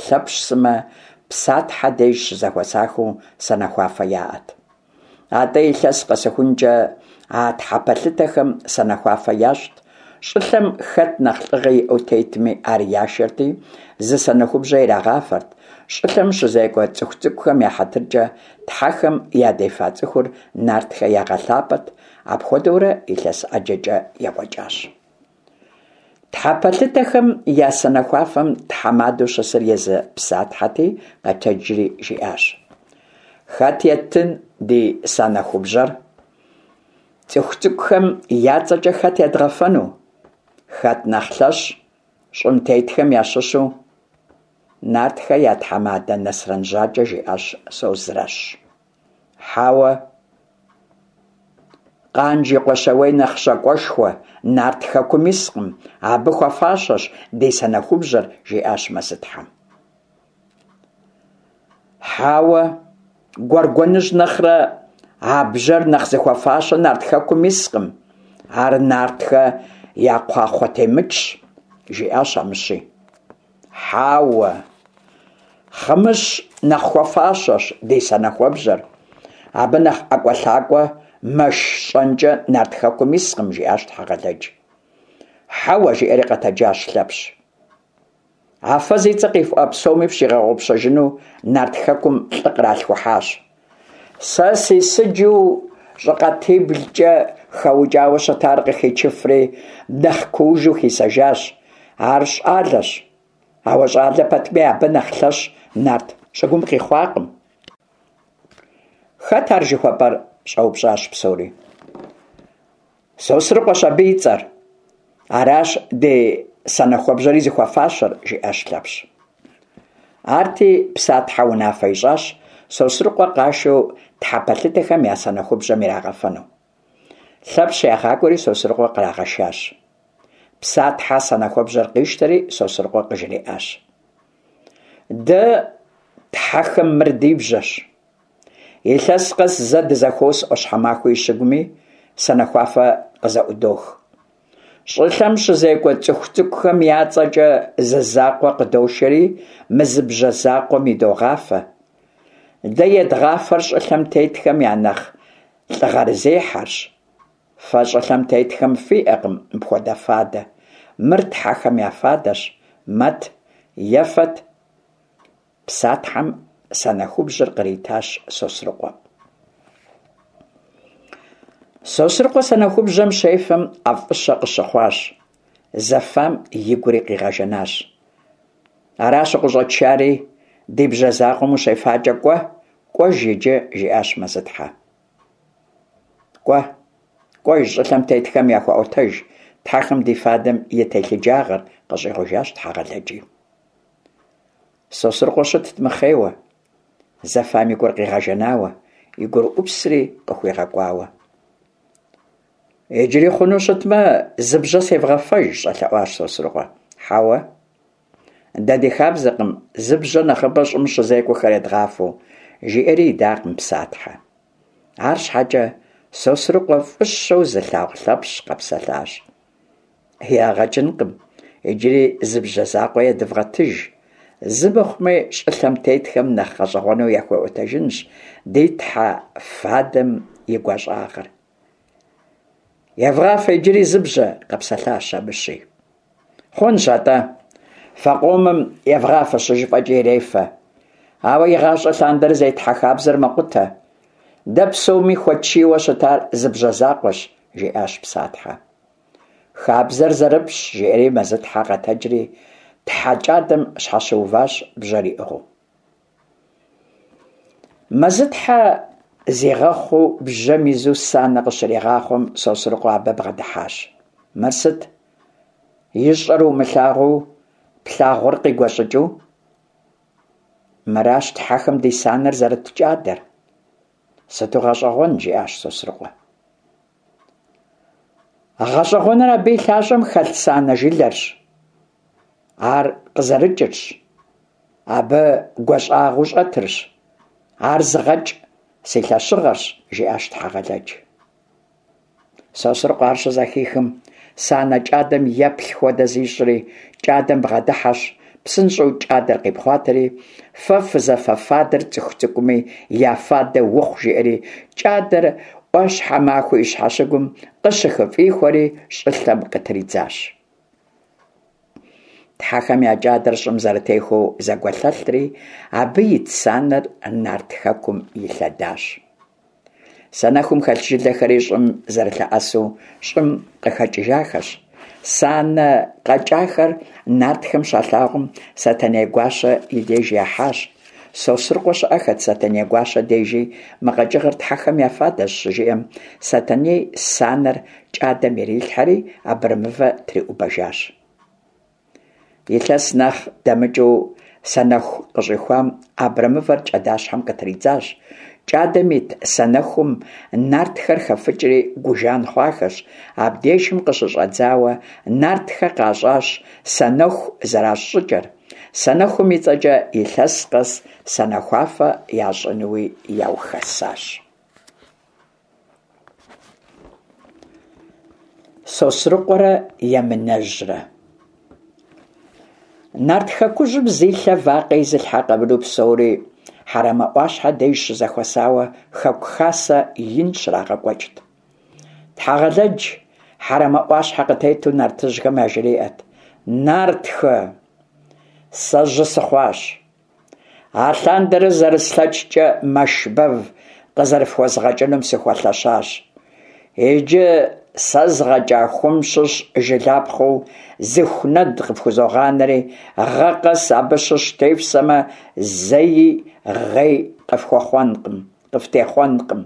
[SPEAKER 1] Лъэпщ сымэ Псатхьэ деж щызэхуэсахэу санэхуафэ яӏэт. Атӏэ илъэс къэсыхункӏэ а тхьэпэлъытэхэм санэхуафэ ящӏт, щӏылъэм хэт нэхъ лӏыгъэ иӏэу тетми, ар яшэрти, зы санэхубжьэ ирагъафэрт, щӏылъэм щызекӏуэ цӏыху цӏыкӏухэм я хьэтыркӏэ тхьэхэм ядефа цӏыхур нартхэ ягъэлъапӏэт, апхуэдэурэ илъэс ӏэджэкӏэ екӏуэкӏащ. Тхьэпэлъытэхэм я санэхуафэм тхьэмадэу щысыр езы Псатхьэти, къэтэджри жиӏащ: Хэт еттын ди санэхубжьэр? Цӏыху цӏыкӏухэм я цӏэкӏэ хэт едгъэфэну? Хэт нэхъ лъэщ щӏым тетхэм ящыщу? Нартхэ я тхьэмадэ Нэсрэн Жьакӏэ, жиӏащ Созрэщ. Хьэуэ. Къанж и къуэ Щауей нэхъ щакӏуэшхуэ Нарт хэкум искъым, абы хуэфащэщ ди санэхубжьэр, жиӏащ Мэзытхьэм. Хьэуэ, Гуэргуэныжь нэхърэ а бжьэр нэхъ зыхуэфащэ Нарт хэкум искъым, ар нартхэ я кхъуахъуэтемытщ, жиӏащ Амыщи. Хьэуэ, Хъымыщ нэхъ хуэфащэщ ди санэхуэбжьэр. Абы нэхъ ӏэкӏуэлъакӏуэ мэш щӏэнкӏэ Нарт Хэкум искъым, жиӏащ Тхьэгъэлэдж. Хьэуэ, жиӏэри къэтэджащ Лъэпщ. А фэ зи цӏэ къифӏуа псоми фщигъэгъупщэжыну Нарт Хэкум лӏы къралъхухьащ. Сэ си сыджу щӏыкъатиблкӏэ хэукӏауэ щытар къыхичыфри, нэхъ куужу хисэжащ. Ар щӏалэщ. Ауэ щӏалэ пэтми, абы нэхъ лъэщ нарт щӏыгум къихъуакъым. Хэт ар жыхуэпӏэр? щӏэупщӏащ псори. Сосрыкъуэщ абы и цӏэр. Аращ ди санэхуэбжьэри зыхуэфащэр, жиӏащ Лъэпщ. Арти, Псатхьэ унафэ ищӏащ Сосрыкъуэ къашэу тхьэпэлъытэхэм я санэхубжьэм ирагъэфэну. Лъэпщ ягъакӏуэри Сосрыкъуэ кърагъэшащ. Псатхьэ санэхуэбжьэр къищтэри Сосрыкъуэ къыжриӏащ. Дэ тхьэхэм мыр ди бжьэщ. Илъэс къэс зэ дызэхуос ӏуащхьэмахуэ и щыгуми, санэхуафэ къызэӏудох. Щӏылъэм щызекӏуэ цӏыху цӏыкӏухэм я цӏэкӏэ зы закъуэ къыдошэри, мы зы бжьэ закъуэм идогъафэ. Дэ едгъафэр щӏылъэм тетхэм я нэхъ лӏыгъэрызехьэрщ. Фэ щӏылъэм тетхэм фиӏэкъым мыпхуэдэ фадэ. Мыр тхьэхэм я фадэщ. Мэт, ефэт. Псатхьэм санэхубжьэр къритащ Сосрыкъуэ. Сосрыкъуэ санэхубжьэм щефэм ӏэфӏыщэ къыщыхъуащ, зэфам игури къигъэжэнащ. Аращ укъыщӏэтшари, ди бжьэ закъуэм ущефакӏэ кӏуэ, кӏуэж иджы, жиӏащ Мэзытхьэ. Кӏуэ, кӏуэж, щӏылъэм тетхэм яхуэӏуэтэж тхьэхэм ди фадэм и телъыджагъэр, къыщӏигъужащ Тхьэгъэлэджи. Сосрыкъуэ щытт мыхъейуэ, зэфам и гур къигъэжэнауэ, и гурыӏупсри къыхуигъэкӏуауэ. Иджыри хъуну щытмэ, зы бжьэ севгъэфэж, щӏэлъэӏуащ Сосрыкъуэ. Хьэуэ, дэ ди хабзэкъым зы бжьэ нэхъыбэ щӏым щызекӏуэхэр едгъафэу, жиӏэри идакъым Псатхьэ. Арщхьэкӏэ Сосрыкъуэ фӏыщэу зылъагъу Лъэпщ къэпсэлъащ. Ягъэ кӏынкъым, иджыри зы бжьэ закъуэ едывгъэтыж. Зы мыхъуми, щӏылъэм тетхэм нэхъ гъэщӏэгъуэну яхуэӏуэтэжынщ ди тхьэ фадэм и гуащӏагъыр. Евгъафэ иджыри зы бжьэ, къэпсэлъащ Амыщи. Хъунщ атӏэ, фэ къомым евгъафэ щыжыфӏэкӏи ирефэ. Ауэ игъащӏэ лъандэрэ зетхьэ хабзэр мэкъутэ. Дэ псоми хуэтшийуэ щытар зы бжьэ закъуэщ, жиӏащ Псатхьэ. Хабзэр зэрыпщӏщ, жиӏэри Мэзытхьэ къэтэджри тхьэ кӏадэм щхьэщыуващ бжьэр иӏыгъыу. Мэзытхьэ зигъэхъуу бжьэм изу санэ къыщригъахъуэм Сосрыкъуэ абы бгъэдыхьащ. Мыр сыт? Ищӏэр умылъагъуу, плъагъур къигуэщӏыкӏыу? Мыращ тхьэхэм ди санэр зэрыт кӏадэр. Сыту гъэщӏэгъуэн, жиӏащ Сосрыкъуэ. Гъэщӏэгъуэныр абы и лъащӏэм хэлъ санэ жылэрщ, ар къызэрыкӏырщ, абы гуащӏагъыу щӏэтырщ, ар зыгъэкӏ си лъэщыгъэрщ, жиӏащ Тхьэгъэлэдж. Сосрыкъуэ ар щызэхихым, санэ кӏадэм еплъ хуэдэ зищӏри, кӏадэм бгъэдыхьэщ, псынщӏэу кӏадэр къипхъуатэри, фэ фызэфэ фадэр цӏыху цӏыкӏуми я фадэ ухъу, жиӏэри, кӏадэр ӏуащхьэмахуэ и щхьэщыгум къыщыхыфӏихуэри щӏылъэм къытридзащ. Тхьэхэм я кӏадэр щӏым зэрытехуэу зэгуэлъэлъри, абы ит санэр Нарт Хэкум илъэдащ. Санэхум хэлъ жылэхэри щӏым зэрылъэӏэсу щӏым къыхэкӏыжахэщ. Санэ къэкӏахэр нартхэм щалъагъум, Сэтэней гуащэ и деж яхьащ. Сосрыкъуэ щыӏэхэт Сэтэней гуащэ дежи, мы къэкӏыгъэр тхьэхэм я фадэщ щыжиӏэм, Сэтэней санэр кӏадэм ирилъхьэри абрэмывэ триӏубэжащ. Илъэс нэхъ дэмыкӏыу санэху къыщӏихуам абрэмывэр кӏадащхьэм къытридзащ. Кӏадэм ит санэхум нартхэр хэфыкӏри гу жан хъуахэщ. Абдежым къыщыщӏэдзауэ нартхэ къащӏащ санэху зэращӏ щӏыкӏэр. Санэхум и цӏэкӏэ илъэс къэс санэхуафэ ящӏынуи яухэсащ. Сосрыкъуэрэ Емынэжьрэ. Нарт Хэкужьым зи лъэ вакъэ изылъхьэ къэмынэу псори. Хьэрэмэ ӏуащхьэ деж щызэхуэсауэ хэку хасэ ин щрагъэкӏуэкӏт. Тхьэгъэлэдж Хьэрэмэ ӏуащхьэ къытету нартыжьхэм яжриӏэт: Нартхэ, сэ жьы сыхъуащ. Алъандэрэ зэрыслъэкӏкӏэ мэш бэв къызэрыфхуэзгъэкӏынум сыхуэлъэщащ. Иджы сэ згъэкӏа хум щыщ жылапхъэу зы ху нэд къыфхузогъанэри, гъэ къэс абы щыщ тефсэмэ, зэи гъей къыфхуэхъуэнкъым, къыфтехъуэнкъым.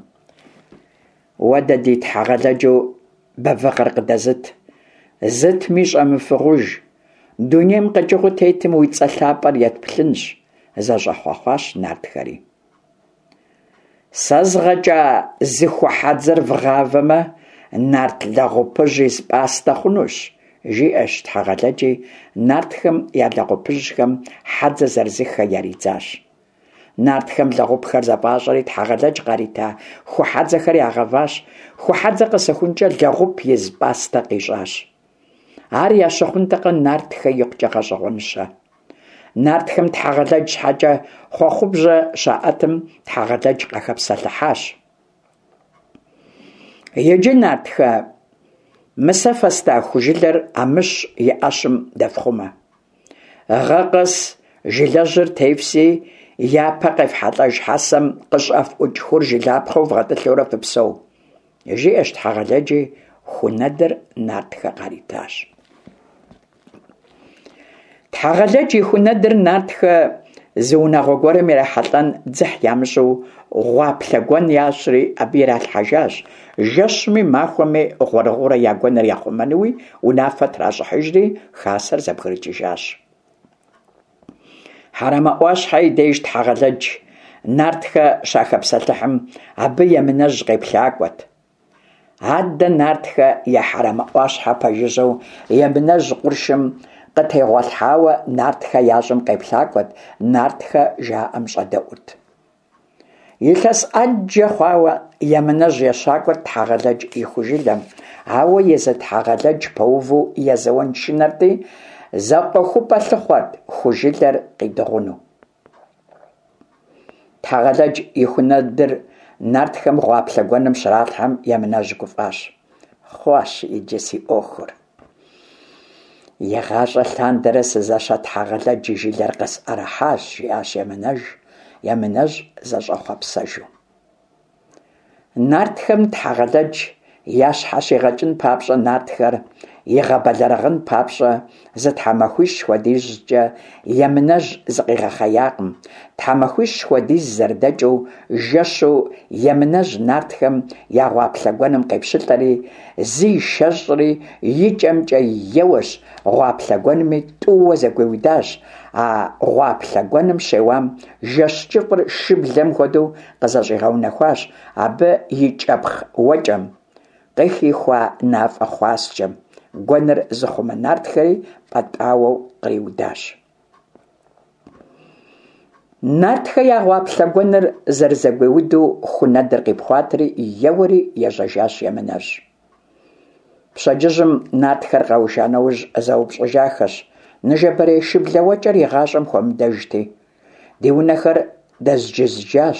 [SPEAKER 1] Уэ дэ ди Тхьэгъэлэджу бэвыгъэр къыдэзыт, зытми щӏэмыфыгъуж, дунейм къэкӏыгъэу тетым уи цӏэ лъапӏэр етплъынщ, зэщӏэхъуэхъуащ нартхэри. Сэ згъэкӏа зы ху хьэдзэр вгъавэмэ, нарт лэгъупыжь из пӏастэ хъунущ, жиӏэщ Тхьэгъэлэджи, нартхэм я лэгъупыжьхэм хьэдзэ зырызыххэ яридзащ. Нартхэм лэгъупхэр зэфӏащӏэри Тхьэгъэлэдж къарита ху хьэдзэхэр ягъэващ, ху хьэдзэ къэсыхункӏэ лэгъуп из пӏастэ къищӏащ. Ар ящыхъунтэкъэ нартхэ икъукӏэ гъэщӏэгъуэныщэ. Нартхэм Тхьэгъэлэдж щхьэкӏэ хъуэхъубжьэ щаӏэтым Тхьэгъэлэдж къахэпсэлъыхьащ. Иджы, нартхэ, мы сэ фэста ху жылэр Амыщ и ӏэщым дэфхъумэ. Гъэ къэс жылэжьыр тефси, япэ къефхьэлӏэж хьэсэм къыщӏэфӏукӏ хур жылапхъэу вгъэтӏылъурэ фыпсэу. Жиӏэщ Тхьэгъэлэджи, ху нэдыр нартхэ къаритащ. Тхьэгъэлэдж и ху нэдыр нартхэ зы унагъуэ гуэрым ирахьэлӏэн дзыхь ямыщӏу гъуаплъэ гуэн ящӏри абы иралъхьэжащ, жэщми махуэми гъуэрыгъуэурэ я гуэныр яхъумэнуи унафэ тращӏыхьыжри хасэр зэбгрыкӏыжащ. Хьэрэмэ ӏуащхьэ и деж Тхьэгъэлэдж нартхэ щахэпсэлъыхьым, абы Емынэжь къеплъакӏуэт. Адэ нартхэ я Хьэрэмэ ӏуащхьэ пэжыжьэу Емынэжь къуршым къытегъуэлъхьауэ нартхэ я щӏым къеплъакӏуэт, нартхэ жаӏэм щӏэдэӏурт. Илъэс ӏэджэ хъуауэ Емынэжь ещакӏуэрт Тхьэгъэлэдж и ху жылэм, ауэ езы Тхьэгъэлэдж пэуву езэуэн шынэрти, зэкъуэхупӏэ лъыхъуэрт ху жылэр къидыгъуну. Тхьэгъэлэдж и ху нэдыр нартхэм гъуаплъэ гуэным щралъхьэм Емынэжь гуфӏащ. Хъуащ иджы си ӏуэхур. Игъащӏэ лъандэрэ сызэщэ Тхьэгъэлэдж и жылэр къысӏэрыхьащ, жиӏащ Емынэж, Емынэжь зэщӏэхъуэпсэжу. Нартхэм Тхьэгъэлэдж ящхьэщигъэкӏын папщӏэ нартхэр игъэбэлэрыгъын папщӏэ зы тхьэмахуищ хуэдизкӏэ Емынэжь зыкъигъэхъеякъым. Тхьэмахуищ хуэдиз зэрыдэкӏыу жэщу Емынэжь нартхэм я гъуаплъэ гуэным къепщылӏэри, зишэщӏри, и кӏэмкӏэ еуэщ, гъуаплъэ гуэнми тӏууэ зэгуиудащ. А гъуаплъэ гуэным щеуам жэщ кӏыфӏыр шыблэм хуэдэу къызэщӏигъэунэхуащ абы и кӏэпхъ уэкӏэм, къыхихуа мафӏэ хъуаскӏэм, гуэныр зыхъумэ нартхэри пӏэтӏауэу къриудащ. Нартхэ я гъуаплъэ гуэныр зэрызэгуиуду ху нэдыр къипхъуатэри, еуэри ежьэжащ Емынэжь. Пщэдджыжьым нартхэр къэуша нэужь зэупщӏыжахэщ, ныжэбэрей шыблэ уэкӏэр игъащӏэм хуэмыдэжти. Ди унэхэр дэзджызджащ,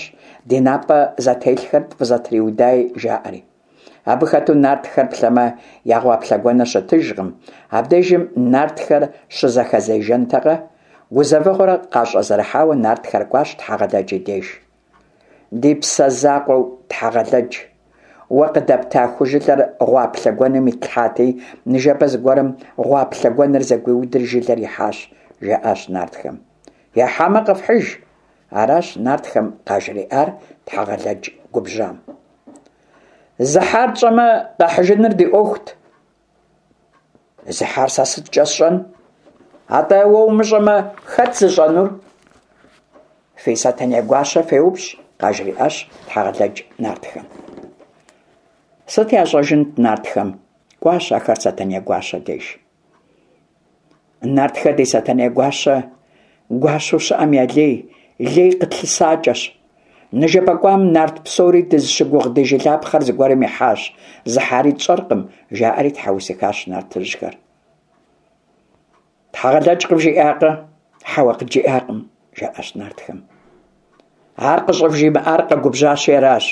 [SPEAKER 1] ди напӏэ зэтелъхэр тфӏызэтриудаи, жаӏэри. Абы хэту нартхэр плъэмэ, я гъуаплъэ гуэныр щытыжкъым. Абдежым нартхэр щызэхэзежэнтэкъэ? Гузэвэгъуэр къащӏэзэрыхьауэ нартхэр кӏуащ Тхьэгъэлэдж и деж. Ди псэ закъуэу Тхьэгъэлэдж, уэ къыдэпта ху жылэр гъуаплъэ гуэным итлъхьати, ныжэбэ зыгуэрым гъуаплъэ гуэныр зэгуиудри жылэр ихьащ, жаӏащ нартхэм. Яхьамэ къэфхьыж, аращ нартхэм къажриӏар Тхьэгъэлэдж губжьам. Зыхьар тщӏэмэ, къэхьыжыныр ди ӏуэхут. Зыхьар сэ сыткӏэ сщӏэн? Атӏэ уэ умыщӏэмэ, хэт зыщӏэнур? Фи Сэтэней гуащэ феупщӏ, къажриӏащ Тхьэгъэлэдж нартхэм. Сыт ящӏэжынт нартхэм? Кӏуащ ахэр Сэтэней гуащэ деж. Нартхэ ди Сэтэней гуащэ, гуащэу щыӏэм я лей, лей къытлъысакӏэщ. Ныжэбэ кӏуам нарт псори дызыщыгугъ ди жылапхъэр зыгуэрым ихьащ, зыхьари тщӏэркъым, жаӏэри тхьэусыхащ нартыжьхэр. Тхьэгъэлэдж къывжиӏакъэ? Хьэуэ, къыджиӏакъым, жаӏащ нартхэм. Ар къыщӏывжимыӏар къэгубжьащи аращ.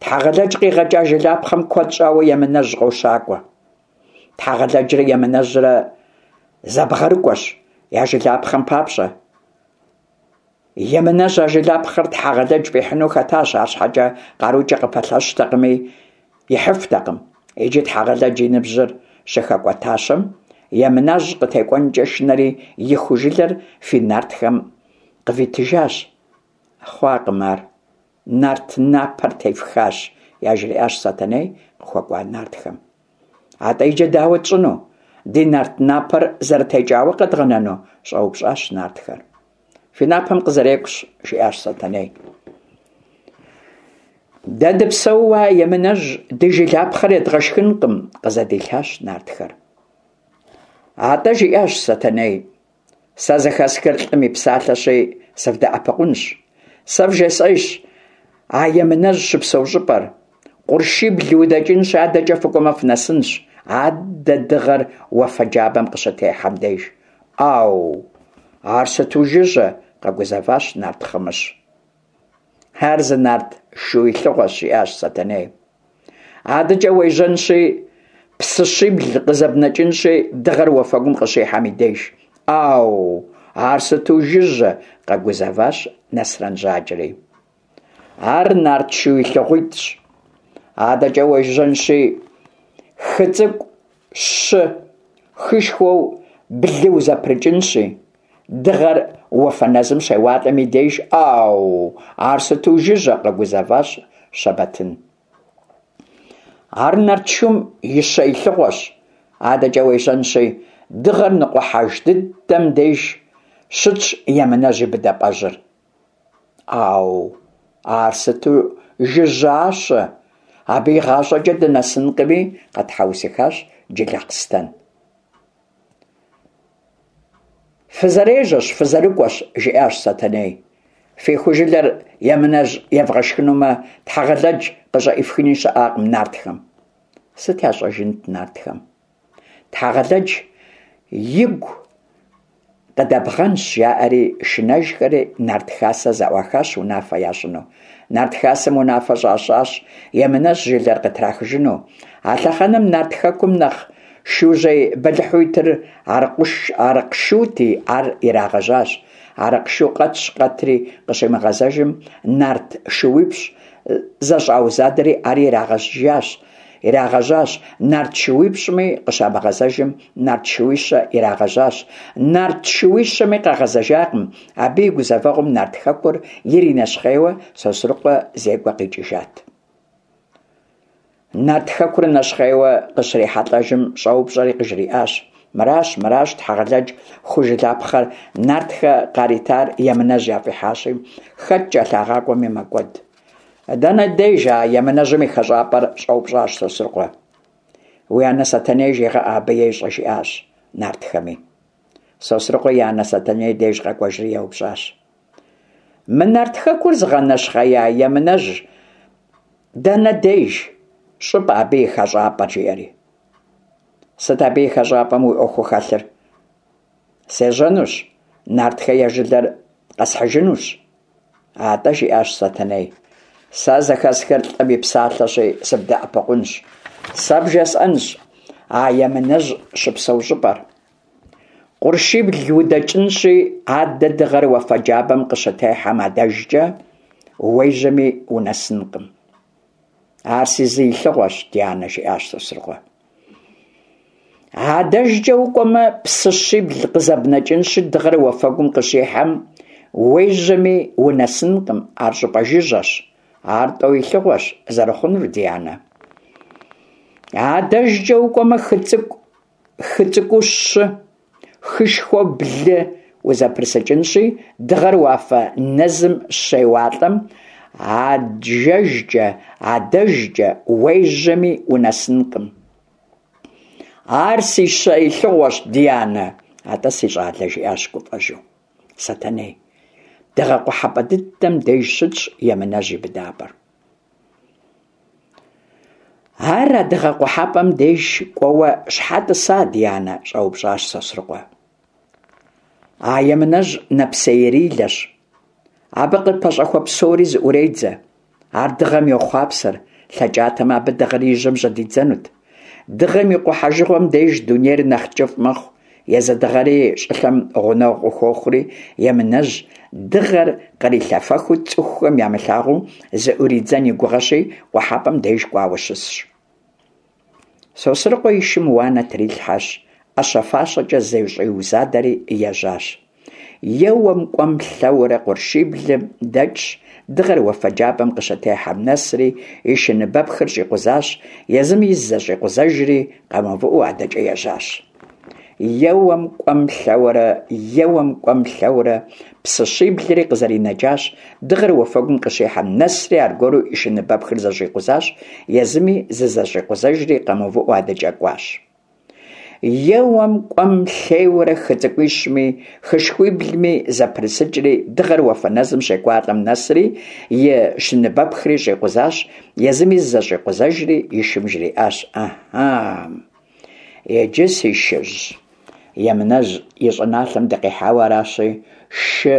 [SPEAKER 1] Тхьэгъэлэдж къигъэкӏа жылапхъэм куэд щӏауэ Емынэжь къощакӏуэ. Тхьэгъэлэджрэ Емынэжьрэ зэбгъэрыкӏуэщ я жылапхъэм папщӏэ. Емынэжь а жылапхъэр Тхьэгъэлэдж фӏихьыну хэтащ, арщхьэкӏэ къарукӏэ къыпэлъэщтэкъыми, ихьыфтэкъым. Иджы Тхьэгъэлэдж и ныбжьыр щыхэкӏуэтащэм, Емынэжь къытекӏуэнкӏэ шынэри, и ху жылэр фи нартхэм къывитыжащ. Хъуакъым ар. Нарт напэр тефхащ, яжриӏащ Сэтэней къыхуэкӏуа нартхэм. Атӏэ иджы дауэ тщӏыну? Ди нарт напэр зэрытекӏауэ къэдгъэнэну? щӏэупщӏащ нартхэр. Фи напэм къызэрекӏущ, жиӏащ Сэтэней. Дэ дыпсэууэ а Емынэжь ди жылапхъэр едгъэшхынкъым, къызэдилъащ нартхэр. Атӏэ, жиӏащ Сэтэней, Сэ зэхэсхыр лӏым и псалъэщи, сывдэӏэпыкъунщ. Сэ вжесӏэжщ а Емынэжь щыпсэу щӏыпӏэр. Къуршибл удэкӏынщи, адэкӏэ фыкӏуэмэ фынэсынщ, адэ дыгъэр уафэ джабэм къыщытехьэм деж. ӏау! Ар сыту жыжьэ! къэгузэващ нарт Хъымыщ. Ар зы нарт шу илъыгъуэщ, жиӏащ Сэтэней. Адэкӏэ уежьэнщи, псыщибл къызэбнэкӏынщи, дыгъэр уафэгум къыщихьэм и деж. ӏау! Ар сыту жыжьэ! къэгузэващ Нэсрэн Жьакӏэри. Ар нарт шу илъыгъуитӏщ. Адэкӏэ уежьэнщи, хы цӏыкӏу щы, хышхуэу блы узэпрыкӏынщи, дыгъэр уафэнэзым щеуалӏэм и деж, ӏау, ар сыту жыжьэ, къэгузэващ Щэбэтын. Ар нартшум и щэ илъыгъуэщ, адэкӏэ уежьэнщи, дыгъэр ныкъухьэж дыдэм деж щытщ Емынэжь и быдапӏэжьыр. Ӏау, ар сыту жыжьащэ, абы игъащӏэкӏэ дынэсынкъыми, къэтхьэусыхащ Джылахъстэн. Фызэрежьэщ, фызэрыкӏуэщ, жиӏащ Сэтэней. Фи ху жылэр Емынэжь евгъэшхынумэ, Тхьэгъэлэдж къыщӏэӏифхыни щыӏакъым нартхэм. Сыт ящӏэжынт нартхэм? Тхьэгъэлэдж игу къыдэбгъэнщ, жаӏэри шынэжхэри нарт хасэ зэӏуахащ унафэ ящӏыну. Нарт хасэм унафэ щащӏащ Емынэжь жылэр къытрахыжыну. А лъэхъэнэм нарт хэкум нэхъ шужьей бэлыхьу итыр Арыкъшути, ар ирагъэжьащ. Арыкъшу къэтщ-къэтри къыщимыгъэзэжым, нарт шууипщӏ зэщӏаузадэри ари ирагъэжьащ. Ирагъэжьащ. Нарт шууипщӏми къыщамыгъэзэжым, нарт шууищэ ирагъэжьащ. Нарт шууищэми къагъэзэжакъым. Абы и гузэвэгъуэм нарт хэкур иринэщхъейуэ Сосрыкъуэ зекӏуэ къикӏыжат. Нарт хэкур нэщхъейуэ къыщрихьэлӏэжым, щӏэупщӏэри къыжриӏащ: Мыращ, мыращ, Тхьэгъэлэдж ху жылапхъэр нартхэ къаритар Емынэжь яфӏихьащи, хэт кӏэлъагъакӏуэми мэкӏуэд. Дэнэ деж а Емынэжьым и хэщӏапӏэр? щӏэупщӏащ Сосрыкъуэ. Уи анэ Сэтэней жегъэӏэ, абы ещӏэ, жиӏащ нартхэми. Сосрыкъуэ и анэ Сэтэней деж къэкӏуэжри еупщӏащ. Мы нарт хэкур зыгъэнэщхъея Емынэжь дэнэ деж щӏыпӏэ абы и хэщӏапӏэр, жиӏэри. Сыт абы и хэщӏапӏэм уи ӏуэхуу хэлъыр? Сежьэнущ, нартхэ я жылэр къэсхьыжынущ. Атӏэ, жиӏащ Сэтэней, сэ зэхэсхыр лӏым и псалъэщи, сыбдэӏэпыкъунщ. Сэ бжесӏэнщ а Емынэжь щыпсэу щӏыпӏэр. Къуршибл удэкӏынщи, адэ дыгъэр уафэ джабэм къыщытехьэм адэжкӏэ уежьэми унэсынкъым. Ар си зы илъыгъуэщ, ди анэ, жиӏащ Сосрыкъуэ. Адэжкӏэ укӏуэмэ, псыщибл къызэбнэкӏынщи, дыгъэр уафэгум къыщихьэм уежьэми унэсынкъым, ар щӏыпӏэ жыжьэщ. Ар тӏэу илъыгъуэщ зэрыхъунур, ди анэ. Адэжкӏэ укӏуэмэ, хы цӏыкӏу, хы цӏыкӏуу щы, хышхуэу блы узэпрысыкӏынщи, дыгъэр уафэ нэзым щеуалӏэм, аджэжкӏэ, адэжкӏэ уежьэми унэсынкъым. Ар си щэ илъыгъуэщ, ди анэ. Атӏэ, си щӏалэ, жиӏащ гуфӏэжу Сэтэней. Дыгъэ къухьэпӏэ дыдэм деж щытщ Емынэжь и быдапӏэр. Ар а дыгъэ къухьэпӏэм деж кӏуэуэ щхьэ тӏыса, ди анэ? щӏэупщӏащ Сосрыкъуэ. А Емынэжь нэпсеирилэщ. Абы къыпэщӏэхуэ псори зыӏуредзэ. Ар дыгъэм йохъуапсэр, лъэкӏатэмэ, абы дыгъэр и жьэм жьэдидзэнут. Дыгъэм и къухьэжыгъуэм деж дунейр нэхъ кӏыфӏ мэхъу, езы дыгъэри щӏылъэм гъунэгъу къыхуохъури, Емынэжь дыгъэр кърилъэфэхыу цӏыхухэм ямылъагъуу зыӏуридзэн и гугъэщи, къухьэпӏэм деж кӏуауэ щысщ. Сосрыкъуэ и шым уанэ трилъхьэщ, ӏэщэ-фащэкӏэ зэщӏиузадэри ежьащ. Еуэм, кӏуэм, лъэуэрэ къуршиблым дэкӏщ, дыгъэр уафэ джабэм къыщытехьэм нэсри, и шыныбэпхыр щӏикъузащ, езыми зызэщӏикъузэжри, къэмыувыӏэу адэкӏэ ежьащ. Еуэм, кӏуэм, лъэуэрэ, еуэм, кӏуэм, лъэуэрэ, псыщиблри къызэринэкӏащ, дыгъэр уафэгум къыщихьэм нэсри аргуэру и шыныбэпхыр зэщӏикъузащ, езыми зызэщӏикъузэжри къэмыувыӏэу адэкӏэ кӏуащ. Еуэм, кӏуэм, лъейуэрэ хы цӏыкӏуищми, хышхуиблми зэпрысыкӏри, дыгъэр уафэнэзым щекӏуалӏэм нэсри, и шыныбэпхри щӏикъузащ, езыми зызэщӏикъузэжри и шым жриӏащ, Ыхьы! Иджы, си шыжь, Емынэжь и щӏыналъэм дыкъихьауэ аращи, шы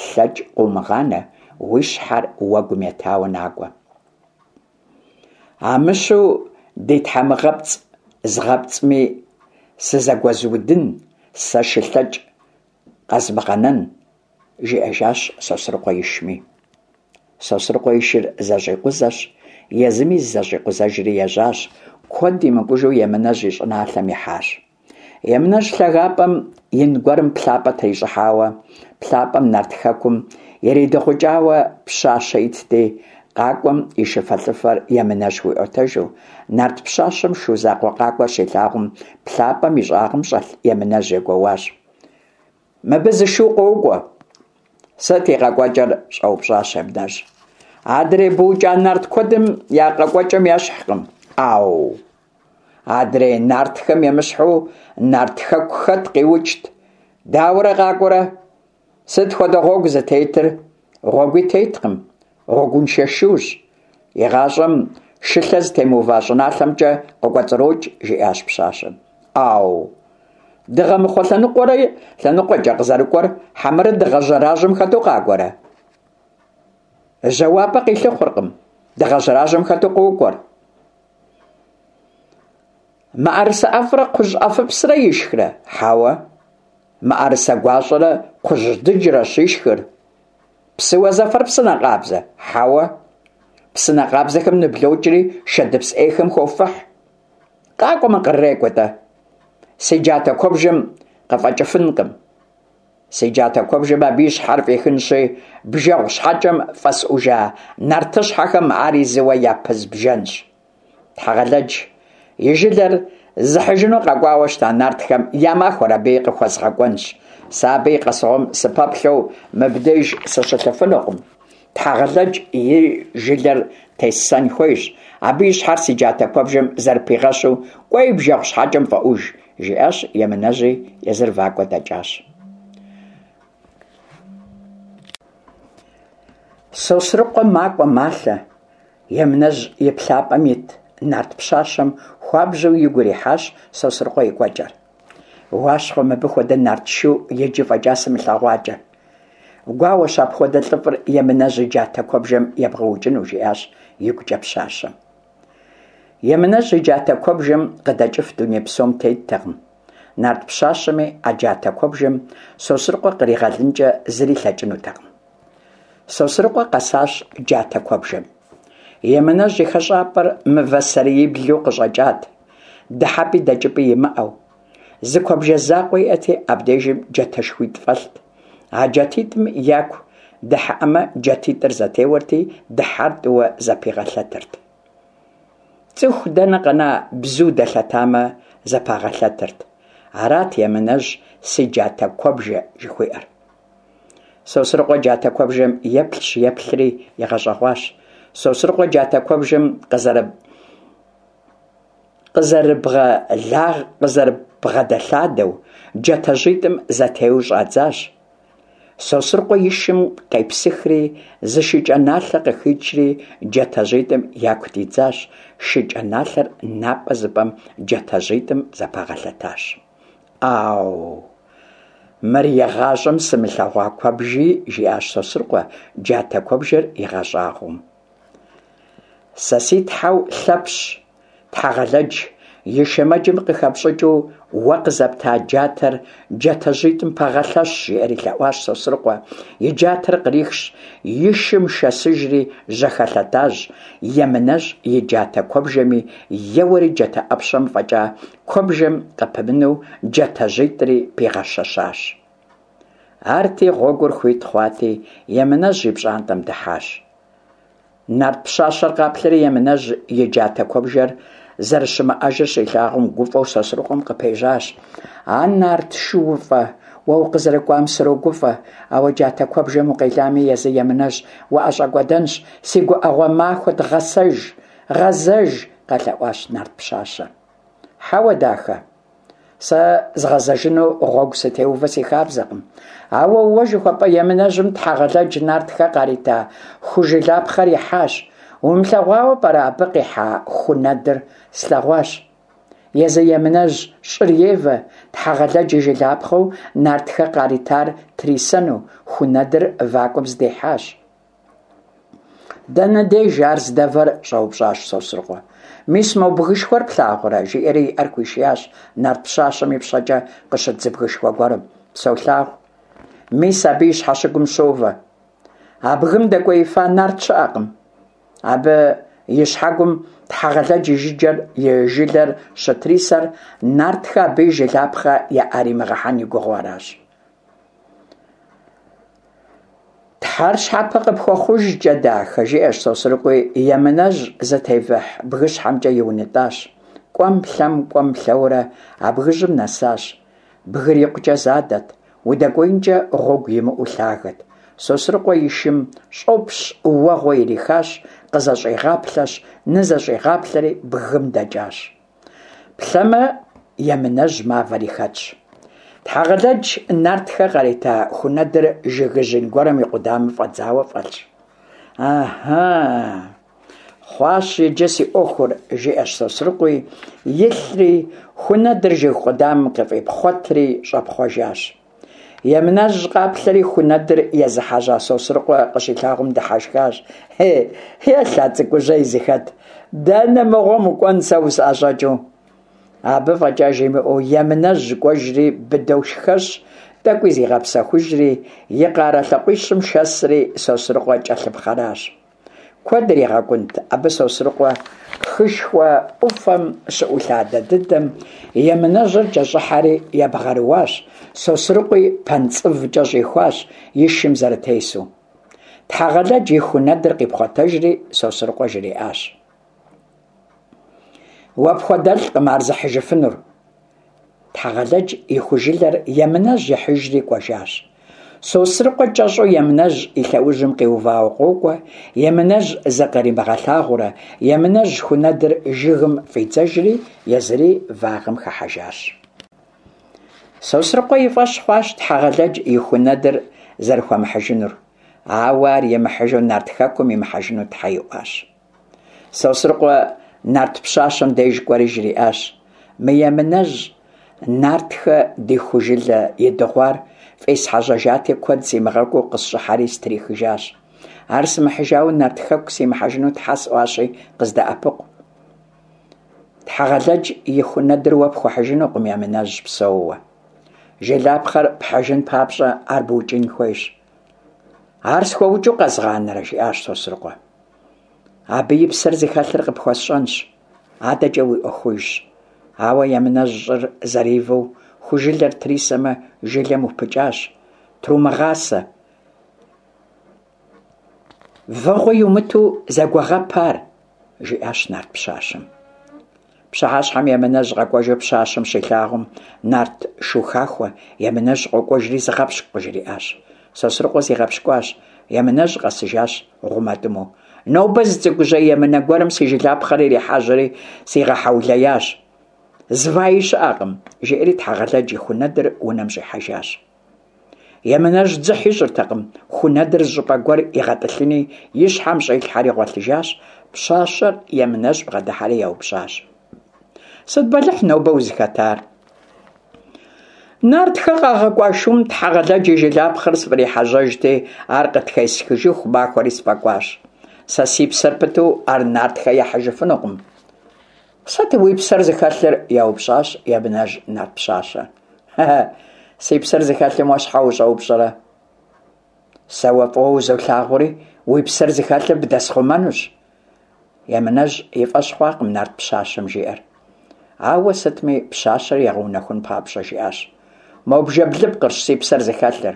[SPEAKER 1] лъэкӏ къыумыгъанэ, уи щхьэр уэгум етауэ накӏуэ. Амыщу ди тхьэмыгъэпцӏ згъэпцӏми сызэгуэзудын, сэ шы лъэкӏ къэзмыгъэнэн, жиӏэжащ Сосрыкъуэ ишми. Сосрыкъуэ и шыр зэщӏикъузэщ, езыми зызэщӏикъузэжри ежьащ, куэд имыкӏужу Емынэжь и щӏыналъэм ихьащ. Емынэжь лъагапӏэм ин гуэрым плъапӏэ трищӏыхьауэ, плъапӏэм нарт хэкум иридыгъукӏауэ пщащэ итти, къакӏуэм и шыфэлӏыфэр Емынэжь хуиӏуэтэжу, нарт пщащэм шу закъуэ къакӏуэр щилъагъум, плъапӏэм и щӏагъым щӏэлъ Емынэжь егуэуащ. Мыбы зы шу къокӏуэ. Сыт и къэкӏуэкӏэр? щӏэупщӏащ Емынэжь. Адрей букӏа нарт куэдым я къэкӏуэкӏэм ещхькъым. ӏау! Адрей нартхэм емыщхьу нарт хэку хэт къиукӏт? Дауэрэ къакӏуэрэ? Сыт хуэдэ гъуэгу зытетыр? Гъуэгуи теткъым, гъуэгуншэ шущ. Игъащӏэм шылъэ зытемыува щӏыналъэмкӏэ къыкӏуэцӏрокӏ, жиӏащ пщащэм. ӏау! Дыгъэмыхъуэ лъэныкъуэрэ лъэныкъуэкӏэ къызэрыкӏуэр хьэмэрэ дыгъэ жьэражьэм хэту къакӏуэрэ? Жьауапӏэ къилъыхъуэркъым, дыгъэ жьэражьэм хэту къокӏуэр. Мыӏэрысэ ӏэфӏрэ кхъужь ӏэфӏыпсрэ ишхрэ? Хьэуэ. Мыӏэрысэ гуащӏэрэ кхъужь дыджрэщ ишхыр. Псыуэ зэфэр псынэ къабзэ? Хьэуэ. Псынэ къабзэхэм ныблокӏри шэдыпс ӏейхэм хофыхь. Къакӏуэмэ, кърырекӏуэ-тӏэ. Си джатэ куэбжэм къыфӏэкӏыфынкъым. Си джатэ куэбжэм абы и щхьэр фӏихынщи, бжэгъу щхьэкӏэм фӏэсӏужа нартыщхьэхэм ари зыуэ япызбжэнщ. Тхьэгъэлэдж и жылэр зыхьыжыну къэкӏуауэ щыта нартхэм я махуэр абыи къыхуэзгъэкӏуэнщ. Сэ абы и къэсыгъуэм сыпэплъэу мыбдеж сыщылъыфынукъым. Тхьэгъэлэдж и жылэр тессэн хуейщ, абы и щхьэр си джатэ куэбжэм зэрыпигъэщу, кӏуэи бжэгъу щхьэкӏэм фӏэӏуж, жиӏащ Емынэжьи, езыр вакӏуэ дэкӏащ. Сосрыкъуэ макӏуэ малъэ, Емынэжь и плъапӏэм ит нарт пщащэм хуабжьу игу ирихьащ Сосрыкъуэ и кӏуэкӏэр. Уащхъуэ, мыбы хуэдэ нарт шу иджы фӏэкӏа сымылъэгъуакӏэ. Гуауэщ апхуэдэ лӏыфӏыр Емынэжь и джатэ куэбжэм ебгъэукӏыну, жиӏащ игукӏэ пщащэм. Емынэжь и джатэ куэбжэм къыдэкӏыф дуней псом теттэкъым. Нарт пщащэми а джатэ куэбжэм Сосрыкъуэ къригъэлынкӏэ зыри лъэкӏынутэкъым. Сосрыкъуэ къэсащ джатэ куэбжэм. Емынэжь и хэщӏапӏэр мывэ сэреиблу къыщӏэкӏат, дыхьэпӏи дэкӏыпӏи имыӏэу. Зы куэбжэ закъуэ иӏэти, абдежым джатэшхуитӏ фӏэлът. А джатитӏым яку дыхьэӏэмэ, джатитӏыр зэтеуэрти, дыхьэр тӏууэ зэпигъэлъэтырт. Цӏыху дэнэ къэна бзу дэлъэтамэ, зэпагъэлъэтырт. Арат Емынэжь си джатэ куэбжэ жыхуиӏэр. Сосрыкъуэ джатэ куэбжэм еплъщ, еплъри игъэщӏэгъуащ. Сосрыкъуэ джатэ куэбжэм къызэрыбгъэдэлъадэу, джатэжьитӏым зэтеуэу щӏадзащ. Сосрыкъуэ и шым къепсыхри, зы шыкӏэ налъэ къыхичри, джатэжьитӏым яку дидзащ. Шыкӏэ налъэр напӏэ зыпӏэм джатэжьитӏым зэпагъэлъэтащ. ӏау! Мыр игъащӏэм сымылъэгъуа куэбжи, жиӏащ Сосрыкъуэ, джатэ куэбжэр игъэщӏагъуэу. Сэ си тхьэу Лъэпщ, Тхьэгъэлэдж и шэмэджым къыхэпщӏыкӏыу уэ къызэпта джатэр джатэжьитӏым пэгъэлъэщ, жиӏэри лъэӏуащ Сосрыкъуэ. И джатэр кърихщ, и шым шэсыжри жьэхэлъэтащ, Емынэжь и джатэ куэбжэми еуэри джатэ ӏэпщэм фӏэкӏа куэбжэм къыпымынэу джатэжьитӏри пигъэщэщащ. Арти, гъуэгур хуит хъуати, Емынэжь и пщӏантӏэм дыхьащ. Нарт пщащэр къаплъэри Емынэжь и джатэ куэбжэр зэрыщымыӏэжыр щилъагъум, гуфӏэу Сосрыкъуэм къыпежьащ. А нарт шууфӏэ, уэ укъызэрыкӏуам срогуфӏэ, ауэ джатэ куэбжэм укъелами, езы Емынэжь уӏэщӏэкӏуэдэнщ, си гуӏэгъуэ махуэт, гъэсэж, гъэзэж, къэлъэӏуащ нарт пщащэр. Хьэуэ, дахэ. Сэ згъэзэжыну гъуэгу сытеувэ си хабзэкъым. Ауэ уэ жыхуэпӏэ Емынэжьым Тхьэгъэлэдж нартхэ къарита ху жылапхъэр ихьащ. Умылъэгъуауэ пӏэрэ абы къихьа ху нэдыр? Слъэгъуащ. Езы Емынэжь щӏыр евэ, Тхьэгъэлэдж и жылапхъэу нартхэ къаритар трисэну, ху нэдыр вакӏуэм здихьащ. Дэнэ деж ар здэвэр? щӏэупщӏащ Сосрыкъуэ. Мис мо бгышхуэр плъагъурэ? жиӏэри и ӏэр хуишиящ нарт пщащэм ипщэкӏэ къыщыт зы бгышхуэ гуэрым. Солъагъу. Мис абы и щхьэщыгум щовэ. А бгым дэкӏуеифа нарт щыӏэкъым. Абы и щхьэгум Тхьэгъэлэдж и жыджэр и жылэр щытрисэр нартхэ абы и жылапхъэ яӏэримыгъэхьэн и гугъэу аращ. Тхьэр щхьэпэ къыпхуэхъужкӏэ, дахэ, жиӏэщ Сосрыкъуи, Емынэжь зытевыхь бгыщхьэмкӏэ иунэтӏащ. Кӏуэм-лъэм, кӏуэм-лъэурэ а бгыжьым нэсащ. Бгыр икъукӏэ задэт, удэкӏуеинкӏэ гъуэгу имыӏэу лъагэт. Сосрыкъуэ и шым щӏопщ уэгъуэ ирихащ, къызэщӏигъаплъэщ, нызэщӏигъаплъэри бгым дэкӏащ. Плъэмэ, Емынэжь мавэри хэтщ. Тхьэгъэлэдж нартхэ къарита хунэдыр жыгыжь ин гуэрым и къудамэм фӏэдзауэ фӏэлъщ. Ахьа! Хъуащ иджы си ӏуэхур, жиӏэщ Сосрыкъуи, илъри, хунэдыр жыг къудамэм къыфӏипхъуэтри щӏэпхъуэжащ. Емынэжь къаплъэри хунэдыр езыхьэжьа Сосрыкъуэ къыщилъагъум дыхьэшхащ. Хей, елъ а цӏыкӏужьей зыхэт, дэнэ мыгъуэм укӏуэн сэ усӏэщӏэкӏыу? Абы фӏэкӏа жимыӏэу Емынэжь кӏуэжри быдэу шхэщ, тӏэкӏуи зигъэпсэхужри, и къарэ лъакъуищым шэсри Сосрыкъуэ кӏэлъыпхъэращ. Куэд иригъэкӏунт абы Сосрыкъуэ хышхуэ ӏуфэм щыӏулъадэ дыдэм, Емынэжьыр кӏэщӏыхьэри ебгъэрыуащ, Сосрыкъуи пэнцӏывкӏэ щӏихуащ и шым зэрытесу. Тхьэгъэлэдж и ху нэдыр къипхъуэтэжри Сосрыкъуэ жриӏащ. Уэ пхуэдэлӏкъым ар зыхьыжыфынур. Тхьэгъэлэдж и ху жылэр Емынэжь ихьыжри кӏуэжащ. Сосрыкъуэ кӏэщӏу Емынэжь и лъэужьым къиувауэ къокӏуэ, Емынэжь зыкъримыгъэлъагъуурэ, Емынэжь ху нэдыр жыгым фӏидзэжри, езыри вагъэм хыхьэжащ. Сосрыкъуэ и фӏэщ хъуащ Тхьэгъэлэдж и ху нэдыр зэрыхуэмыхьыжынур, ауэ ар имыхьыжу Нарт Хэкум имыхьэжыну тхьэ иӏуащ. Сосрыкъуэ нарт пщащэм деж кӏуэри жриӏащ: Мы Емынэжь нартхэ ди ху жылэ идыгъуар фӏесхьэжьэжати, куэд симыгъэкӏуу къысщӏыхьэри стрихыжащ. Ар сымыхьыжауэ Нарт Хэку симыхьэжыну тхьэ сӏуащи, къыздэӏэпыкъу. Тхьэгъэлэдж и ху нэдыр уэ пхуэхьыжынукъым Емынэжь псэууэ. Жылапхъэр пхьыжын папщӏэ ар быукӏын хуейщ. Ар схуэукӏыу къэзгъанэрэ? жиӏащ Сосрыкъуэ. Абы и псэр зыхэлъыр къыпхуэсщӏэнщ, адэкӏэ уи ӏуэхужщ. Ауэ Емынэжь щӏыр зэривэу ху жылэр трисэмэ, жылэм упыкӏащ. Трумыгъасэ. Вэгъуэ иумыту зэгуэгъэп ар, жиӏащ нарт пщащэм. Пщыхьэщхьэм Емынэжь къэкӏуэжу пщащэм щилъагъум, нарт шу хахуэ Емынэжь къокӏуэжри зыгъэпщкӏу къыжриӏащ. Сосрыкъуэ зигъэпщкӏуащ. Емынэжь къэсыжащ гъумэтӏымэу. Нобэ зы цӏыкӏужьей емынэ гуэрым си жылапхъэр ирихьэжьэри сигъэхьэулеящ. Зваи щыӏэкъым, жиӏэри Тхьэгъэлэдж и хунэдыр унэм щӏихьэжащ. Емынэжь дзыхь ищӏыртэкъым, ху нэдыр зы щӏыпӏэ гуэр игъэтӏылъыни, и щхьэм щӏилъхьэри гъуэлъыжащ. Пщащэр Емынэжь бгъэдыхьэри еупщӏащ. Сыт бэлыхь нобэ узыхэтар? Нартхэ къагъэкӏуа шум Тхьэгъэлэдж и жылапхъэр сфӏрихьэжьэжти, ар къытхесхыжыху махуэри сфӏэкӏуащ. Сэ си псэр пыту ар нартхэ яхьыжыфынукъым. Сыт уи псэр зыхэлъыр? еупщӏащ Емынэжь нарт пщащэр. Си псэр зыхэлъым уэ щхьэ ущӏэупщӏэрэ? Сэ уэ фӏыуэ узолъагъури, уи псэр зыхэлъыр бдэсхъумэнущ. Емынэжь и фӏэщ хъуакъым нарт пщащэм жиӏэр. Ауэ сытми пщащэр игъэунэхун папщӏэ жиӏащ. Мо бжэ блыпкъырщ си псэр зыхэлъыр.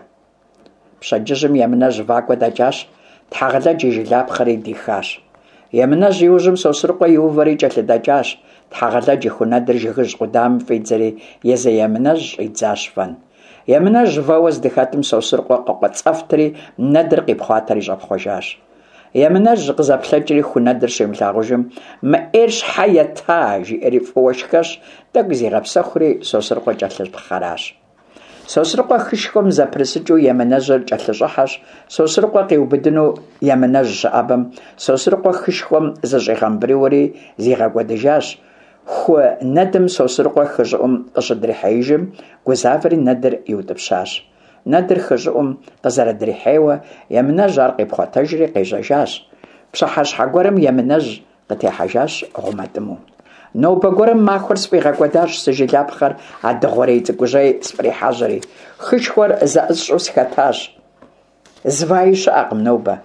[SPEAKER 1] Пщэдджыжьым Емынэжь вакӏуэ дэкӏащ, Тхьэгъэлэдж и жылапхъэри дихащ. Емынэжь и ужьым Сосрыкъуэ иувэри кӏэлъыдэкӏащ, Тхьэгъэлэдж и хунэдыр жыгыжь къудамэм фӏидзэри, езы Емынэжь щӏидзащ вэн. Емынэжь вэуэ здыхэтым Сосрыкъуэ къыкъуэцӏэфтри, нэдыр къипхъуатэри щӏэпхъуэжащ. Емынэжь къызэплъэкӏри хунэдыр щимылъагъужым, мы ӏейр щхьэ ета, жиӏэри фӏыуэ шхэщ, тӏэкӏу зигъэпсэхури Сосрыкъуэ кӏэлъыпхъэращ. Сосрыкъуэ хышхуэм зэпрысыкӏыу Емынэжьыр кӏэлъыщӏыхьэщ, Сосрыкъуэ къиубыдыну Емынэжь щыӏэбэм, Сосрыкъуэ хышхуэм зыщӏигъэмбрыуэри зигъэкӏуэдыжащ. Ху нэдым Сосрыкъуэ хы щӏыӏум къыщыдрихьеижым, гузавэри нэдыр иутӏыпщащ. Нэдыр хы щӏыӏум къызэрыдрихьейуэ, Емынэжь ар къипхъуэтэжри къежьэжащ. Пщыхьэщхьэ гуэрым Емынэжь къытехьэжащ гъумэтӏымэу. Нобэ гуэрым махуэр сфӏигъэкӏуэдащ си жылапхъэр а дыгъуэрей цӏыкӏужьей сфӏрихьэжьэри, хышхуэр зэӏысщӏэу сыхэтащ. Зваи щыӏэкъым нобэ.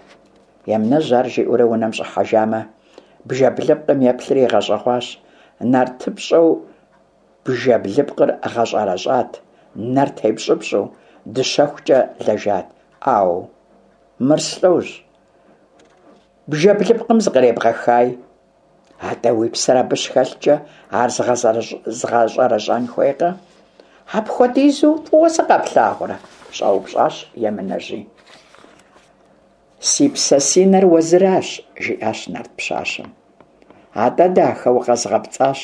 [SPEAKER 1] Емынэжь ар жиӏэурэ унэм щӏыхьэжамэ, бжэ блыпкъым еплъри игъэщӏэгъуащ. Нартыпщӏэу бжэ блыпкъыр гъэщӏэрэщӏат, нэр тепщӏыпщӏу, дыщэхукӏэ лэжат. Ӏау, мыр слӏожь? Бжэ блыпкъым зыкъребгъэхай. Атӏэ уи псэр абы щыхэлъкӏэ ар згъэщӏэрэщӏэн хуейкъэ? Апхуэдизу фӏыуэ сыкъэплъагъурэ? щӏэупщӏащ Емынэжьи. Си псэ си нэр уэзыращ, жиӏащ нарт пщащэм. Атӏэ, дахэ, укъэзгъэпцӏащ.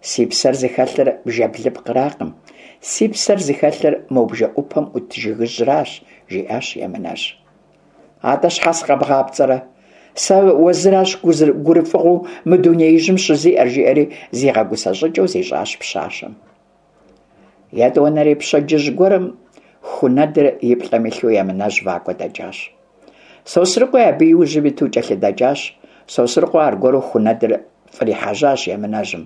[SPEAKER 1] Си псэр зыхэлъыр бжэ блыпкъракъым, си псэр зыхэлъыр мо бжэӏупэм ӏут жыгыжьращ, жиӏащ Емынэжь. Атӏэ щхьэ сыкъэбгъапцӏэрэ? Сэ уэзыращ гурыфӏыгъуэу мы дунеижьым щызиӏэр, жиӏэри зигъэгусэ щӏыкӏэу зищӏащ пщащэм. Етӏуанэрей пщэдджыжь гуэрым хунэдыр и плӏэм илъу Емынэжь вакӏуэ дэкӏащ. Сосрыкъуи абы и ужьым иту кӏэлъыдэкӏащ. Сосрыкъуэ аргуэру хунэдыр фӏрихьэжьащ Емынэжьым.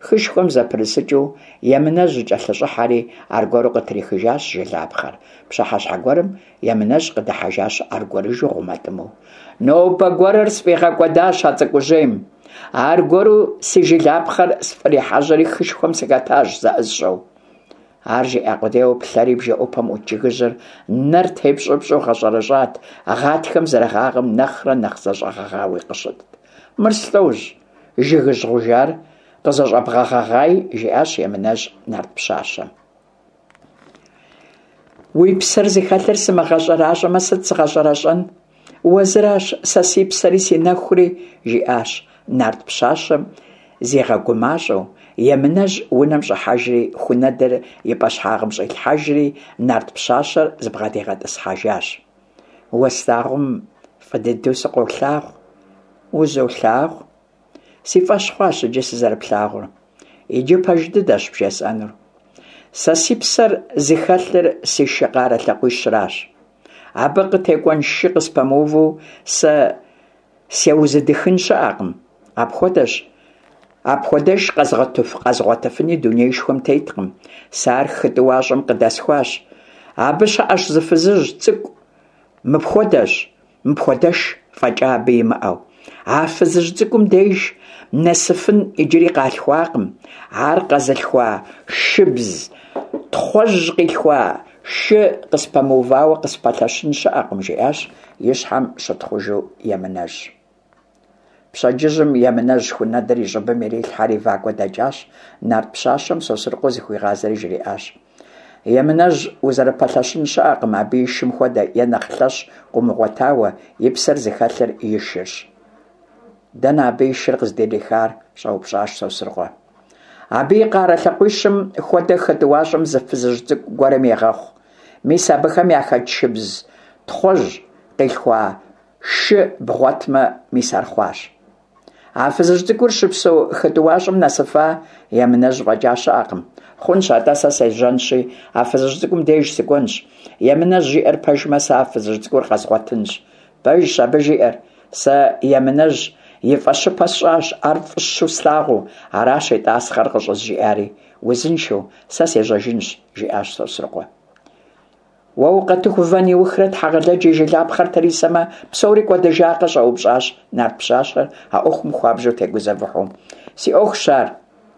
[SPEAKER 1] Хышхуэм зэпрысыкӏыу Емынэжь кӏэлъыщӏыхьэри, аргуэру къытрихыжащ жылапхъэр. Пщыхьэщхьэ гуэрым Емынэжь къыдыхьэжащ аргуэрыжу гъумэтӏымэу. Нобэ гуэрыр сфӏигъэкӏуэдащ а цӏыкӏужьейм. Аргуэру си жылапхъэр сфӏрихьэжьэри хышхуэм сыхэтащ зэӏысщӏэу. Ар жиӏа къудейуэ плъэри бжэӏупэм ӏут жыгыжьыр нэр тепщӏыпщӏу гъэщӏэрэщӏат, гъатхэм зэрыгъагъэм нэхърэ нэхъ зэщӏэгъэгъауи къыщытт. Мыр слӏожь, жыгыжь гъужар къызэщӏэбгъэгъэгъай, жиӏащ Емынэжь нарт пщащэм. Уи псэр зыхэлъыр сымыгъэщӏэращӏэмэ, сыт згъэщӏэрэщӏэн? Уэзыращ сэ си псэри си нэхури, жиӏащ нарт пщащэм зигъэгумащӏэу. Емынэжь унэм щӏыхьэжри, хунэдыр и пӏэщхьагъым щӏилъхьэжри, нарт пщащэр зыбгъэдигъэтӏысхьэжащ. Уэ слъагъум фӏы дыдэу сыкъолъагъу. Узолъагъу. Си фӏэщ хъуащ иджы сызэрыплъагъур. Иджы пэж дыдэщ бжесӏэнур. Сэ си псэр зыхэлъыр си шы къарэ лъакъуищращ. Абы къытекӏуэн шы къыспэмыуву сэ сеузэдыхын щыӏэкъым. Апхуэдэщ, апхуэдэш къэзгъуэтыфыни дунеишхуэм теткъым. Сэ ар хы тӏуащӏэм къыдэсхуащ. Абы щыӏэщ зы фызыжь цӏыкӏу мыпхуэдэщ, Мыпхуэдэш фӏэкӏа абы имыӏэу. А фызыжь цӏыкӏум деж нэсыфын иджыри къалъхуакъым. Ар къэзылъхуа шыбз тхъуэжь къилъхуа шы къыспэмыувауэ къыспэлъэщын щыӏэкъым, жиӏащ и щхьэм щытхъужу Емынэжь. Пщэдджыжьым Емынэжь хунэдыр и щӏыбым ирилъхьэри вакӏуэ дэкӏащ, нарт пщащэм Сосрыкъуэ зыхуигъазэри жриӏащ. Емынэжь узэрыпэлъэщын щыӏэкъым, абы и шым хуэдэ е нэхъ лъэщ къыумыгъуэтауэ, и псэр зыхэлъыр и шырщ. Дэнэ абы и шыр къыздырихар? щӏэупщӏащ Сосрыкъуэ. Абы и къарэ лъакъуищым хуэдэ хы тӏуащӏэм зы фызыжь цӏыкӏу гуэрым егъэхъу. Мис абыхэм яхэт шыбз тхъуэжь къилъхуа Шы бгъуэтмэ, мис ар хъуащ. А фызыжь цӏыкӏур щыпсэу хы тӏуащӏэм нэсыфа Емынэжь фӏэкӏа щыӏэкъым. Хъунщ, атӏэ сэ сежьэнщи, а фызыжь цӏыкӏум деж сыкӏуэнщ. Емынэжь жиӏэр пэжмэ, сэ а фызыжь цӏыкӏур къэзгъуэтынщ. Пэжщ абы жиӏэр. Сэ Емынэжь и фӏэщыпэ сщӏащ, ар фӏыщэу слъагъуу, аращ и тӏасхъэр къыщӏызжиӏари. Узыншэу, сэ сежьэжынщ, жиӏащ Сосрыкъуэ. Уэ укъэтыху вэн иухрэ Тхьэгъэлэдж и жылапхъэр трисэмэ, псори кӏуэдыжакъэ? щӏэупщӏащ нарт пщащэр а ӏуэхум хуабжьу тегузэвыхьу. Си ӏуэхущ ар,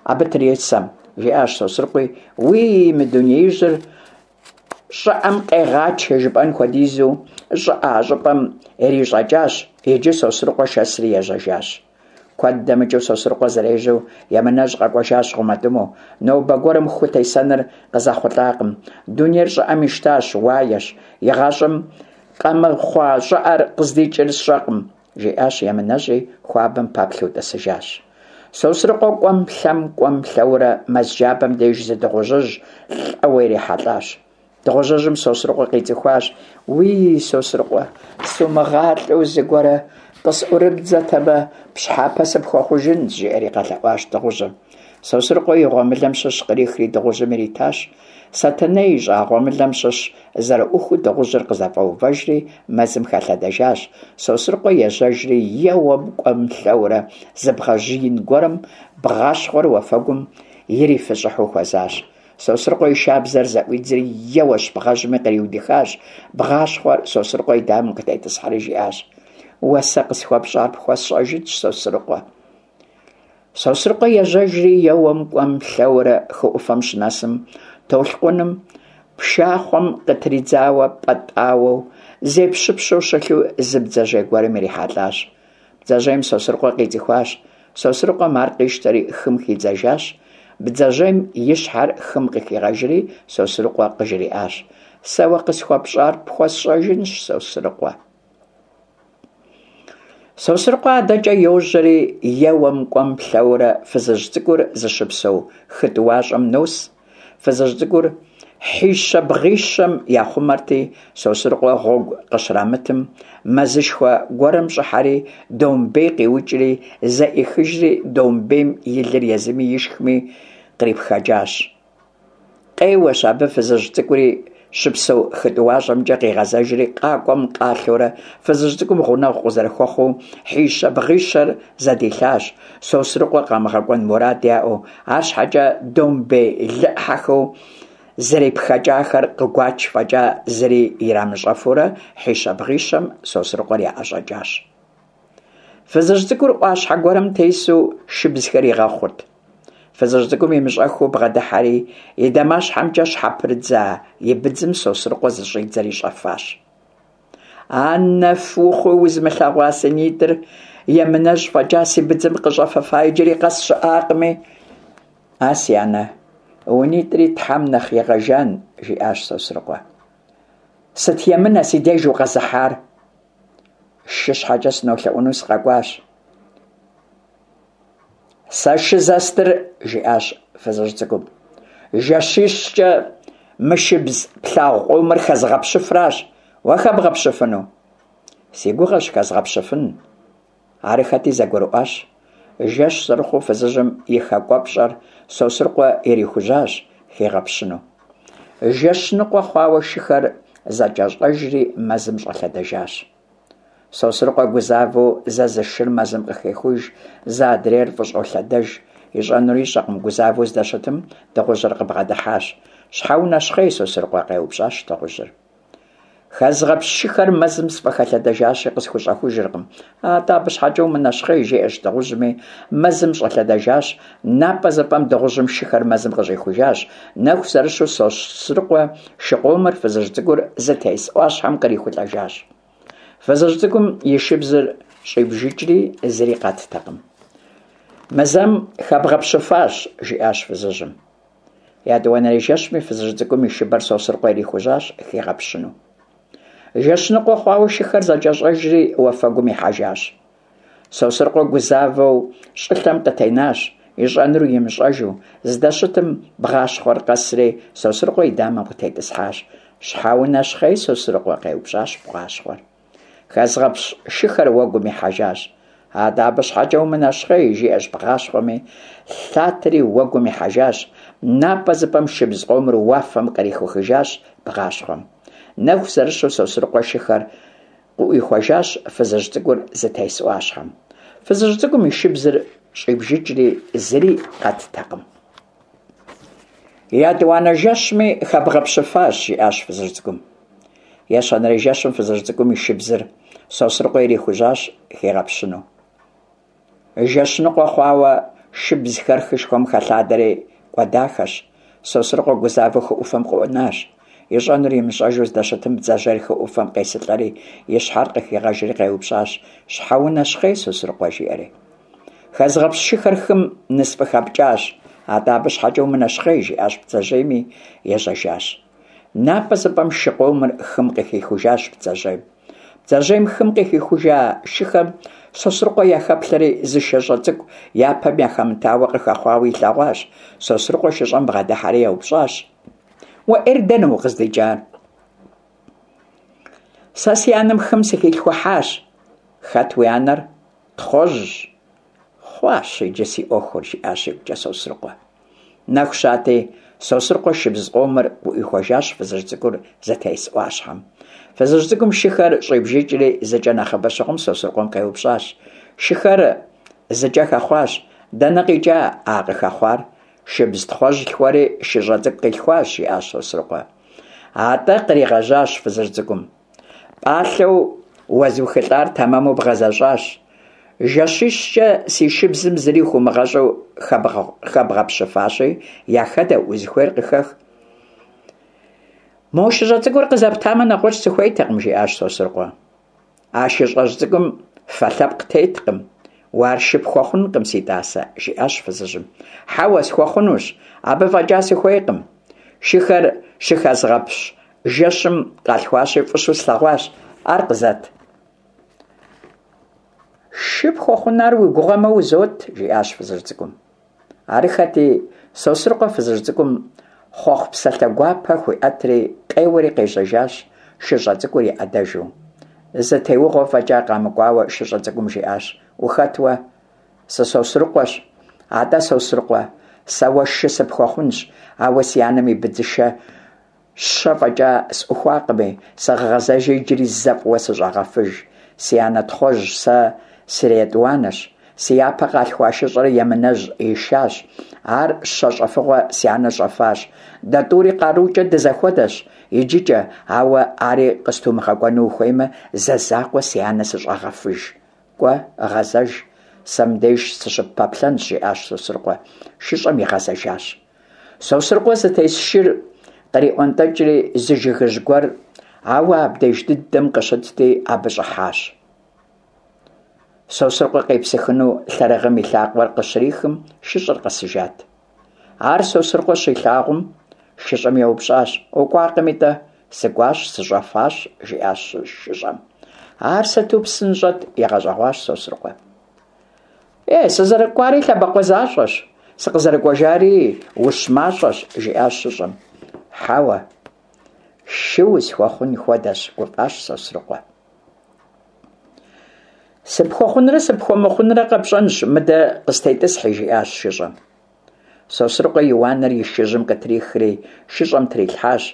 [SPEAKER 1] абы трисэм, жиӏащ Сосрыкъуи, уий, мы дунеижьыр щӏыӏэм къегъачэ жыпӏэн хуэдизу щӏыӏэ а щӏыпӏэм ирищӏэкӏащ, иджы Сосрыкъуэ шэсри ежьэжащ. Куэд дэмыкӏыу Сосрыкъуэ зэрежьэу Емынэжь къэкӏуэжащ гъумэтӏымэу. Нобэ гуэрым ху тесэныр къызэхъулӏакъым. Дунейр щӏыӏэм ищтащ, уаещ. Игъащӏэм къэмыхъуа щӏыӏэр къыздикӏыр сщӏэкъым, жиӏащ Емынэжьи, хуабэм пэплъэу тӏысыжащ. Сосрыкъуэ кӏуэм-лъэм, кӏуэм-лъэурэ мэз джабэм деж зы дыгъужьыжь лӏэуэ ирихьэлӏащ. Дыгъужьыжьым Сосрыкъуэ къицӏыхуащ. Уий, Сосрыкъуэ, сумыгъалӏэу зыгуэрэ къысӏурыбдзэтэмэ, пщхьэпэ сыпхуэхъужынщ, жиӏэри къэлъэӏуащ дыгъужьым. Сосрыкъуэ и гъуэмылэм щыщ кърихри дыгъужьым иритащ. Сэтэней ищӏа гъуэмылэм щыщ зэрыӏухыу дыгъужьыр къызэфӏэувэжри мэзым хэлъэдэжащ. Сосрыкъуэ ежьэжри, еуэм кӏуэм-лъэурэ зы бгъэжь ин гуэрым бгъащхъуэр уафэгум ирифыщӏыхьу хуэзащ. Сосрыкъуэ и шабзэр зэӏуидзри, еуэщ бгъэжьми къриудыхащ. Бгъащхъуэр Сосрыкъуэ и дамэм къытетӏысхьэри жиӏащ: Уэ сэ къысхуэпщӏар пхуэсщӏэжынщ, Сосрыкъуэ. Сосрыкъуэ ежьэжри, еуэм кӏуэм-лъэурэ хы ӏуфэм щынэсым, толъкъуным пшахъуэм къытридзауэ пӏэтӏауэу, зепщыпщу щылъу зы бдзэжьей гуэрым ирихьэлӏащ. Бдзэжьейм Сосрыкъуэ къицӏыхуащ. Сосрыкъуэм ар къищтэри хым хидзэжащ. Бдзэжьейм и щхьэр хым къыхигъэжри Сосрыкъуэ къыжриӏащ: Сэ уэ къысхуэпщӏар пхуэсщӏэжынщ, Сосрыкъуэ. Сосрыкъуэ адэкӏэ йожьэри, еуэм кӏуэм-лъэурэ фызыжь цӏыкӏур зыщыпсэу хы тӏуащӏэм нос. Фызыжь цӏыкӏур хьищэ-бгъищэм яхъумэрти, Сосрыкъуэ гъуэгу къыщрамытым, мэзышхуэ гуэрым щӏыхьэри, домбей къиукӏри, зэӏихыжри, домбейм и лыр езыми ишхми кърипхэкӏащ. Къеуэщ абы фызыжь цӏыкӏури щыпсэу хы тӏуащӏэмкӏэ къигъэзэжри, къакӏуэм-къалъэурэ фызыжь цӏыкӏум гъунэгъу къызэрыхуэхъуу, хьищэ-бгъищэр зэдилъащ, Сосрыкъуэ къамыгъэкӏуэн мурад яӏэу, арщхьэкӏэ домбей лы ӏыхьэхэу зэрипхэкӏахэр къыгуач фӏэкӏа зыри ирамыщӏэфурэ хьищэ-бгъищэм Сосрыкъуэр яӏэщӏэкӏащ. Фызыжь цӏыкӏур ӏуащхьэ гуэрым тесу шыбзхэр игъэхъурт. Фызыжь цӏыкӏум имыщӏэххэу бгъэдыхьэри, и дамащхьэмкӏэ щхьэпрыдза и быдзым Сосрыкъуэ зыщӏидзэри щӏэфащ. А нэф ухъуи узмылъэгъуа си нитӏыр Емынэжь фӏэкӏа си быдзым къыщӏэфэфа иджыри къэс щыӏакъыми. А си анэ, уи нитӏри Тхьэм нэхъ игъэжан, жиӏащ Сосрыкъуэ. Сыт емынэ си деж укъэзыхьар? Шы щхьэкӏэ сынолъэӏуну сыкъэкӏуащ. Сэ шы зэстыр, жиӏащ фызыжь цӏыкӏум, жэщищкӏэ мы шыбз плъагъу къомыр хэзгъэпщыфращ. Уэ хэбгъэпщыфыну? Си гугъэщ хэзгъэпщыфын. Арыххэти зэгурыӏуащ. Жэщ зэрыхъуу фызыжьым и хакӏуэпщӏэр Сосрыкъуэ ирихужьащ хигъэпщыну. Жэщ ныкъуэ хъуауэ шыхэр зэкӏэщӏэжри мэзым щӏэлъэдэжащ. Сосрыкъуэ гузавэу зэ зы шыр мэзым къыхехуж, зэ адрейр фӏыщӏолъэдэж. Ищӏэнур ищӏэкъым, гузавэу здэщытым дыгъужьыр къыбгъэдыхьащ. Щхьэ унэщхъей, Сосрыкъуэ? къеупщӏащ дыгъужьыр. Хэзгъэпщ шыхэр мэзым сфӏыхэлъэдэжащи, къысхущӏэхужыркъым. Атӏэ абы щхьэкӏэ умынэщхъей, жиӏэщ дыгъужьми, мэзым щӏэлъэдэжащ. Напӏэзыпӏэм дыгъужьым шыхэр мэзым къыщӏихужащ. Нэху зэрыщу Сосрыкъуэ шы къомыр фызыжь цӏыкӏур зытес ӏуащхьэм кърихулӏэжащ. Фызыжь цӏыкӏум и шыбзыр щӏибжыкӏри, зыри къэттэкъым. Мы зэм хэбгъэпщыфащ, жиӏащ фызыжьым. Етӏуанэрей жэщми фызыжь цӏыкӏум и шыбэр Сосрыкъуэ ирихужьащ хигъэпщыну. Жэщ ныкъуэ хъуауэ шыхэр зэкӏэщӏэжри уафэгум ихьэжащ. Сосрыкъуэ гузавэу щӏылъэм къытенащ, ищӏэнур имыщӏэжу, здэщытым бгъащхъуэр къэсри Сосрыкъуэ и дамэм къытетӏысхьащ. Щхьэ унэщхъей, Сосрыкъуэ? къеупщӏащ бгъащхъуэр. Хэзгъэпщ шыхэр уэгум ихьэжащ. Атӏэ абы щхьэкӏэ умынэщхъей, жиӏэщ бгъащхъуэми, лъатэри уэгум ихьэжащ. Напӏэзыпӏэм шыбз къомыр уафэм кърихухыжащ бгъащхъуэм. Нэху зэрыщу Сосрыкъуэ шыхэр къыӏуихуэжащ фызыжь цӏыкӏур зытес ӏуащхьэм. Фызыжь цӏыкӏум и шыбзыр щӏибжыкӏри, зыри къэттэкъым. Етӏуанэ жэщми хэбгъэпщыфащ, жиӏащ фызыжь цӏыкӏум. Ещанэрей жэщым фызыжь цӏыкӏум и шыбзыр Сосрыкъуэ ирихужьащ хигъэпщыну. Жэщ ныкъуэ хъуауэ шыбзхэр хышхуэм хэлъадэри кӏуэдахэщ. Сосрыкъуэ гузавэу хы ӏуфэм къыӏунащ. Ищӏэнур имыщӏэжу здэщытым бдзэжьейр хы ӏуфэм къесылӏэри, и щхьэр къыхигъэжри къеупщӏащ: Щхьэ унэщхъей, Сосрыкъуэ? жиӏэри. Хэзгъэпщ шыхэр хым нысфӏыхэпкӏащ. Атӏэ абы щхьэкӏэ умынэщхъей, жиӏащ бдзэжьейми, ежьэжащ. Напӏэзыпӏэм шы къомыр хым къыхихужащ бдзэжьейм. Бдзэжьейм хым къыхихужа шыхэм Сосрыкъуэ яхэплъэри зы шыщӏэ цӏыкӏу япэм яхэмытауэ къыхэхъуауэ илъэгъуащ. Сосрыкъуэ шыщӏэм бгъэдыхьэри еупщӏащ: Уэ ӏейр дэнэ укъыздикӏар? Сэ си анэм хым сыхилъхухьащ. Хэт уи анэр? Тхъуэжьщ. Хъуащ иджы си ӏуэхур, жиӏащ игукӏэ Сосрыкъуэ. Нэху щати, Сосрыкъуэ шыбз къомыр къыӏуихуэжащ фызыжь цӏыкӏур зытес ӏуащхьэм. Фызыжь цӏыкӏум шыхэр щӏибжыкӏри, зыкӏэ нэхъыбэ щыхъум Сосрыкъуэм къеупщӏащ. Шыхэр зыкӏэ хэхъуащ. Дэнэ къикӏа а къыхэхъуар? Шыбз тхъуэжь лъхуэри шыщӏэ цӏыкӏу къилъхуащ, жиӏащ Сосрыкъуэ. Атӏэ, къригъэжьащ фызыжь цӏыкӏум. Пӏалъэу уэзухылӏар тэмэму бгъэзэщӏащ. Жэщищкӏэ си шыбзым зыри хыумыгъэщӏу хэбгъэпщыфащи, яхэдэ, узыхуейр къыхэх. Мо шыщӏэ цӏыкӏур къызэптамэ, нэгъуэщӏ сыхуейтэкъым, жиӏащ Сосрыкъуэ. А шыщӏэжь цӏыкӏум фэ лъэпкъ теткъым. Уэ ар шы пхуэхъункъым, си тӏасэ, жиӏащ фызыжьым. Хьэуэ, схуэхъунущ, абы фӏэкӏа сыхуейкъым. Шыхэр щыхэзгъэпщ жэщым къалъхуащи, фӏыщэу слъэгъуащ, ар къызэт. Шы пхуэхъун ар уи гугъэмэ, узот, жиӏащ фызыжь цӏыкӏум. Арыххэти, Сосрыкъуэ фызыжь цӏыкӏум хъуэхъу псалъэ гуапэ хуиӏэтри, къеуэри къежьэжащ, шыщӏэ цӏыкӏур и ӏэдэжу. Зы теугъуэ фӏэкӏа къамыкӏуауэ шыщӏэ цӏыкӏум жиӏащ: Ухэт уэ? Сы-Сосрыкъуэщ. Атӏэ, Сосрыкъуэ, сэ уэ шы сыпхуэхъунщ, ауэ си анэм и быдзышэ щэ фӏэкӏа сӏухуакъыми, сыгъэгъэзэжи иджыри зэ фӏыуэ сыщӏэгъэфыж. Си анэ Тхъуэжь сэ сриетӏуанэщ. Си япэ къалъхуа шыщӏэр Емынэжь ишащ. Ар щэ щӏэфыгъуэ си анэ щӏэфащ. Дэ тӏури къарукӏэ дызэхуэдэщ иджыкӏэ, ауэ ари къыстумыгъэкӏуэну ухуеймэ, зэ закъуэ си анэ сыщӏэгъэфыж. Кӏуэ, гъэзэж, сэ мыбдеж сыщыппэплъэнщ, жиӏащ Сосрыкъуэ. Шыщӏэм игъэзэжащ. Сосрыкъуэ зытес шыр къриӏуэнтӏэкӏри зы жыгыжь гуэр, ауэ абдеж дыдэм къыщытти, абы щӏыхьащ. Сосрыкъуэ къепсыхыну лъэрыгъым и лъакъуэр къыщрихым, шыщӏэр къэсыжат. Ар Сосрыкъуэ щилъагъум, шыщӏэм еупщӏащ: Укӏуакъыми-тӏэ? Сыкӏуащ, сыщӏэфащ, жиӏащ шыщӏэм. Ар сыту псынщӏэт, игъэщӏэгъуащ Сосрыкъуэ. Е, сызэрыкӏуари лъэбакъуэ защӏэщ, сыкъызэрыкӏуэжари ущ мащӏэщ, жиӏащ шыщӏэм. Хьэуэ, шы усхуэхъун хуэдэщ, гуфӏащ Сосрыкъуэ. Сыпхуэхъунрэ сыпхуэмыхъунрэ къэпщӏэнщ, мыдэ къыстетӏысхьи, жиӏащ шыщӏэм. Сосрыкъуэ и уанэр и шыжьым къытрихри, шыщӏэм трилъхьащ.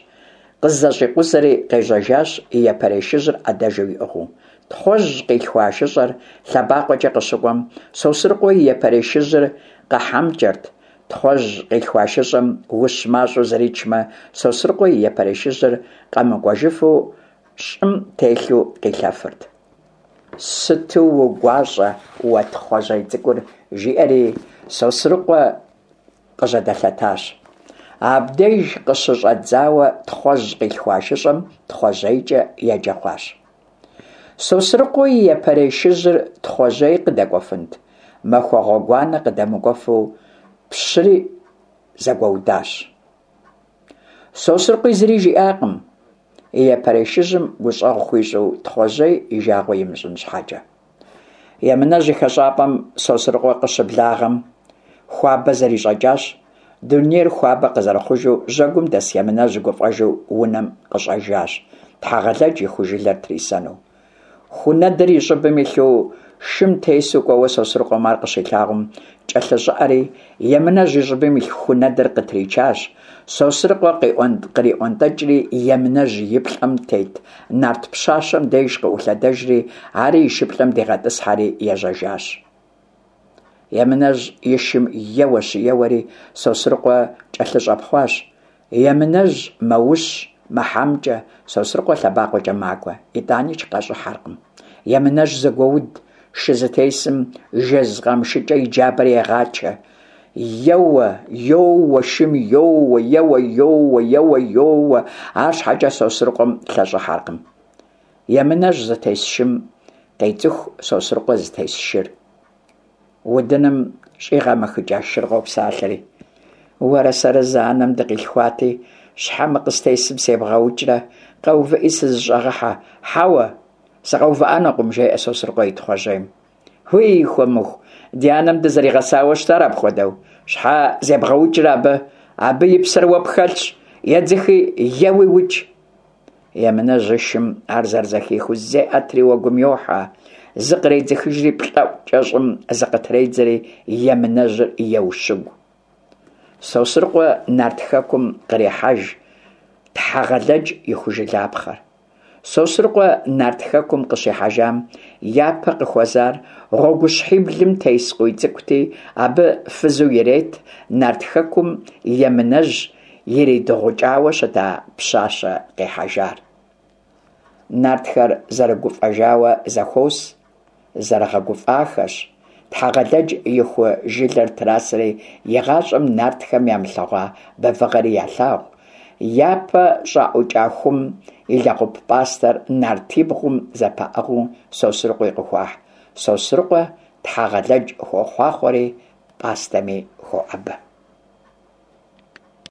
[SPEAKER 1] Къызэщӏикъузэри къежьэжащ, и япэрей шыжьыр ӏэдэжу иӏыгъыу. Тхъуэжь къилъхуа шыщӏэр лъэбакъуэкӏэ къыщыкӏуэм, Сосрыкъуэ и япэрей шыжьыр къэхьэмкӏэрт. Тхъуэжь къилъхуа шыщӏэм ущ мащӏэу зричмэ, Сосрыкъуэ и япэрей шыжьыр къэмыкӏуэжыфу щӏым телъу къилъэфырт. Сыту угуащӏэ уэ Тхъуэжьей цӏыкӏур, жиӏэри Сосрыкъуэ къыжьэдэлъэтащ. Абдеж къыщыщӏэдзауэ Тхъуэжь къилъхуа шыщӏэм Тхъуэжьейкӏэ еджэ хъуащ. Сосрыкъуэ и япэрей шыжьыр Тхъуэжьей къыдэкӏуэфынт, махуэ гъуэгуанэ къыдэмыкӏуэфу пщыри зэгуэудащ. Сосрыкъуи зыри жиӏакъым, и япэрей шыжьым гущӏэгъу хуищӏу Тхъуэжьей и жагъуэ имыщӏын щхьэкӏэ. Емынэжь и хэщӏапӏэм Сосрыкъуэ къыщыблагъэм, хуабэ зэрищӏэкӏащ. Дунейр хуабэ къызэрыхъужу жьэгум дэс Емынэжь гуфӏэжу унэм къыщӏэжащ, Тхьэгъэлэдж и ху жылэр трисэну. Хунэдыр и щӏыбым илъу. Шым тесу кӏуэуэ Сосрыкъуэм ар къыщилъагъум, кӏэлъыщӏыӏэри, Емынэжь и щӏыбым илъ ху нэдыр къытричащ. Сосрыкъуэ къриӏуэнтӏэкӏри, Емынэжь и плӏэм тет нарт пщащэм деж къыӏулъэдэжри, ари и шыплӏэм дигъэтӏысхьэри ежьэжащ. Емынэжь и шым еуэщ-еуэри, Сосрыкъуэ кӏэлъыщӏэпхъуащ. Емынэжь мэущ, мэхьэмкӏэ, Сосрыкъуэ лъэбакъуэкӏэ макӏуэ, итӏаникӏ къащӏыхьэркъым. Емынэжь зэгуоуд, шы зытесым жэз къамышыкӏэ и джабэр егъачэ. Еуэ, йоуэ, шым йоуэ, еуэ, йоуэ, еуэ, йоуэ, арщхьэкӏэ Сосрыкъуэм лъэщӏыхьэркъым. Емынэжь зытес шым къецӏыху Сосрыкъуэ зытес шыр. Удыным щӏигъэмэхыкӏа шыр къопсалъэри. Уэрэ сэрэ зы анэм дыкъилъхуати, щхьэ мы къыстесым себгъэукӏрэ, къэувыӏи сызыщӏэгъыхьэ. Хьэуэ, сыкъэувыӏэнукъым, жеӏэ Сосрыкъуэ и Тхъуэжьейм. Уий, хуэмыху, ди анэм дызэригъэсауэ щытар апхуэдэу. Щхьэ зебгъэукӏрэ абы? Абы и псэр уэ пхэлъщ, едзыхи, еуи укӏ. Емынэжь и шым ар зэрызэхихыу зеӏэтри уэгум йохьэ, зыкъредзыхыжри плӏэӏукӏэ щӏым зыкъытредзэри Емынэжьыр еущыгу. Сосрыкъуэ Нарт Хэкум кърехьэж Тхьэгъэлэдж и хужылапхъэр. Сосрыкъуэ Нарт Хэкум къыщихьэжам япэ къыхуэзар гъуэгущхьиблым тес Къуийцӏыкӏути, абы фызу ирет Нарт Хэкум Емынэжь иридыгъукӏауэ щыта пщащэ къихьэжар. Нартхэр зэрыгуфӏэжауэ зэхуос, зэрыгъэгуфӏахэщ. Тхьэгъэлэдж и ху жылэр трасэри, игъащӏэм нартхэм ямылъэгъуа бэвыгъэри ялъагъу. Япэ щӏаӏукӏа хум и лэгъуп пӏастэр нартибгъум зэпаӏыгъыу Сосрыкъуи къыхуахь. Сосрыкъуэ Тхьэгъэлэдж хуохъуахъуэри пӏастэми хоӏэбэ.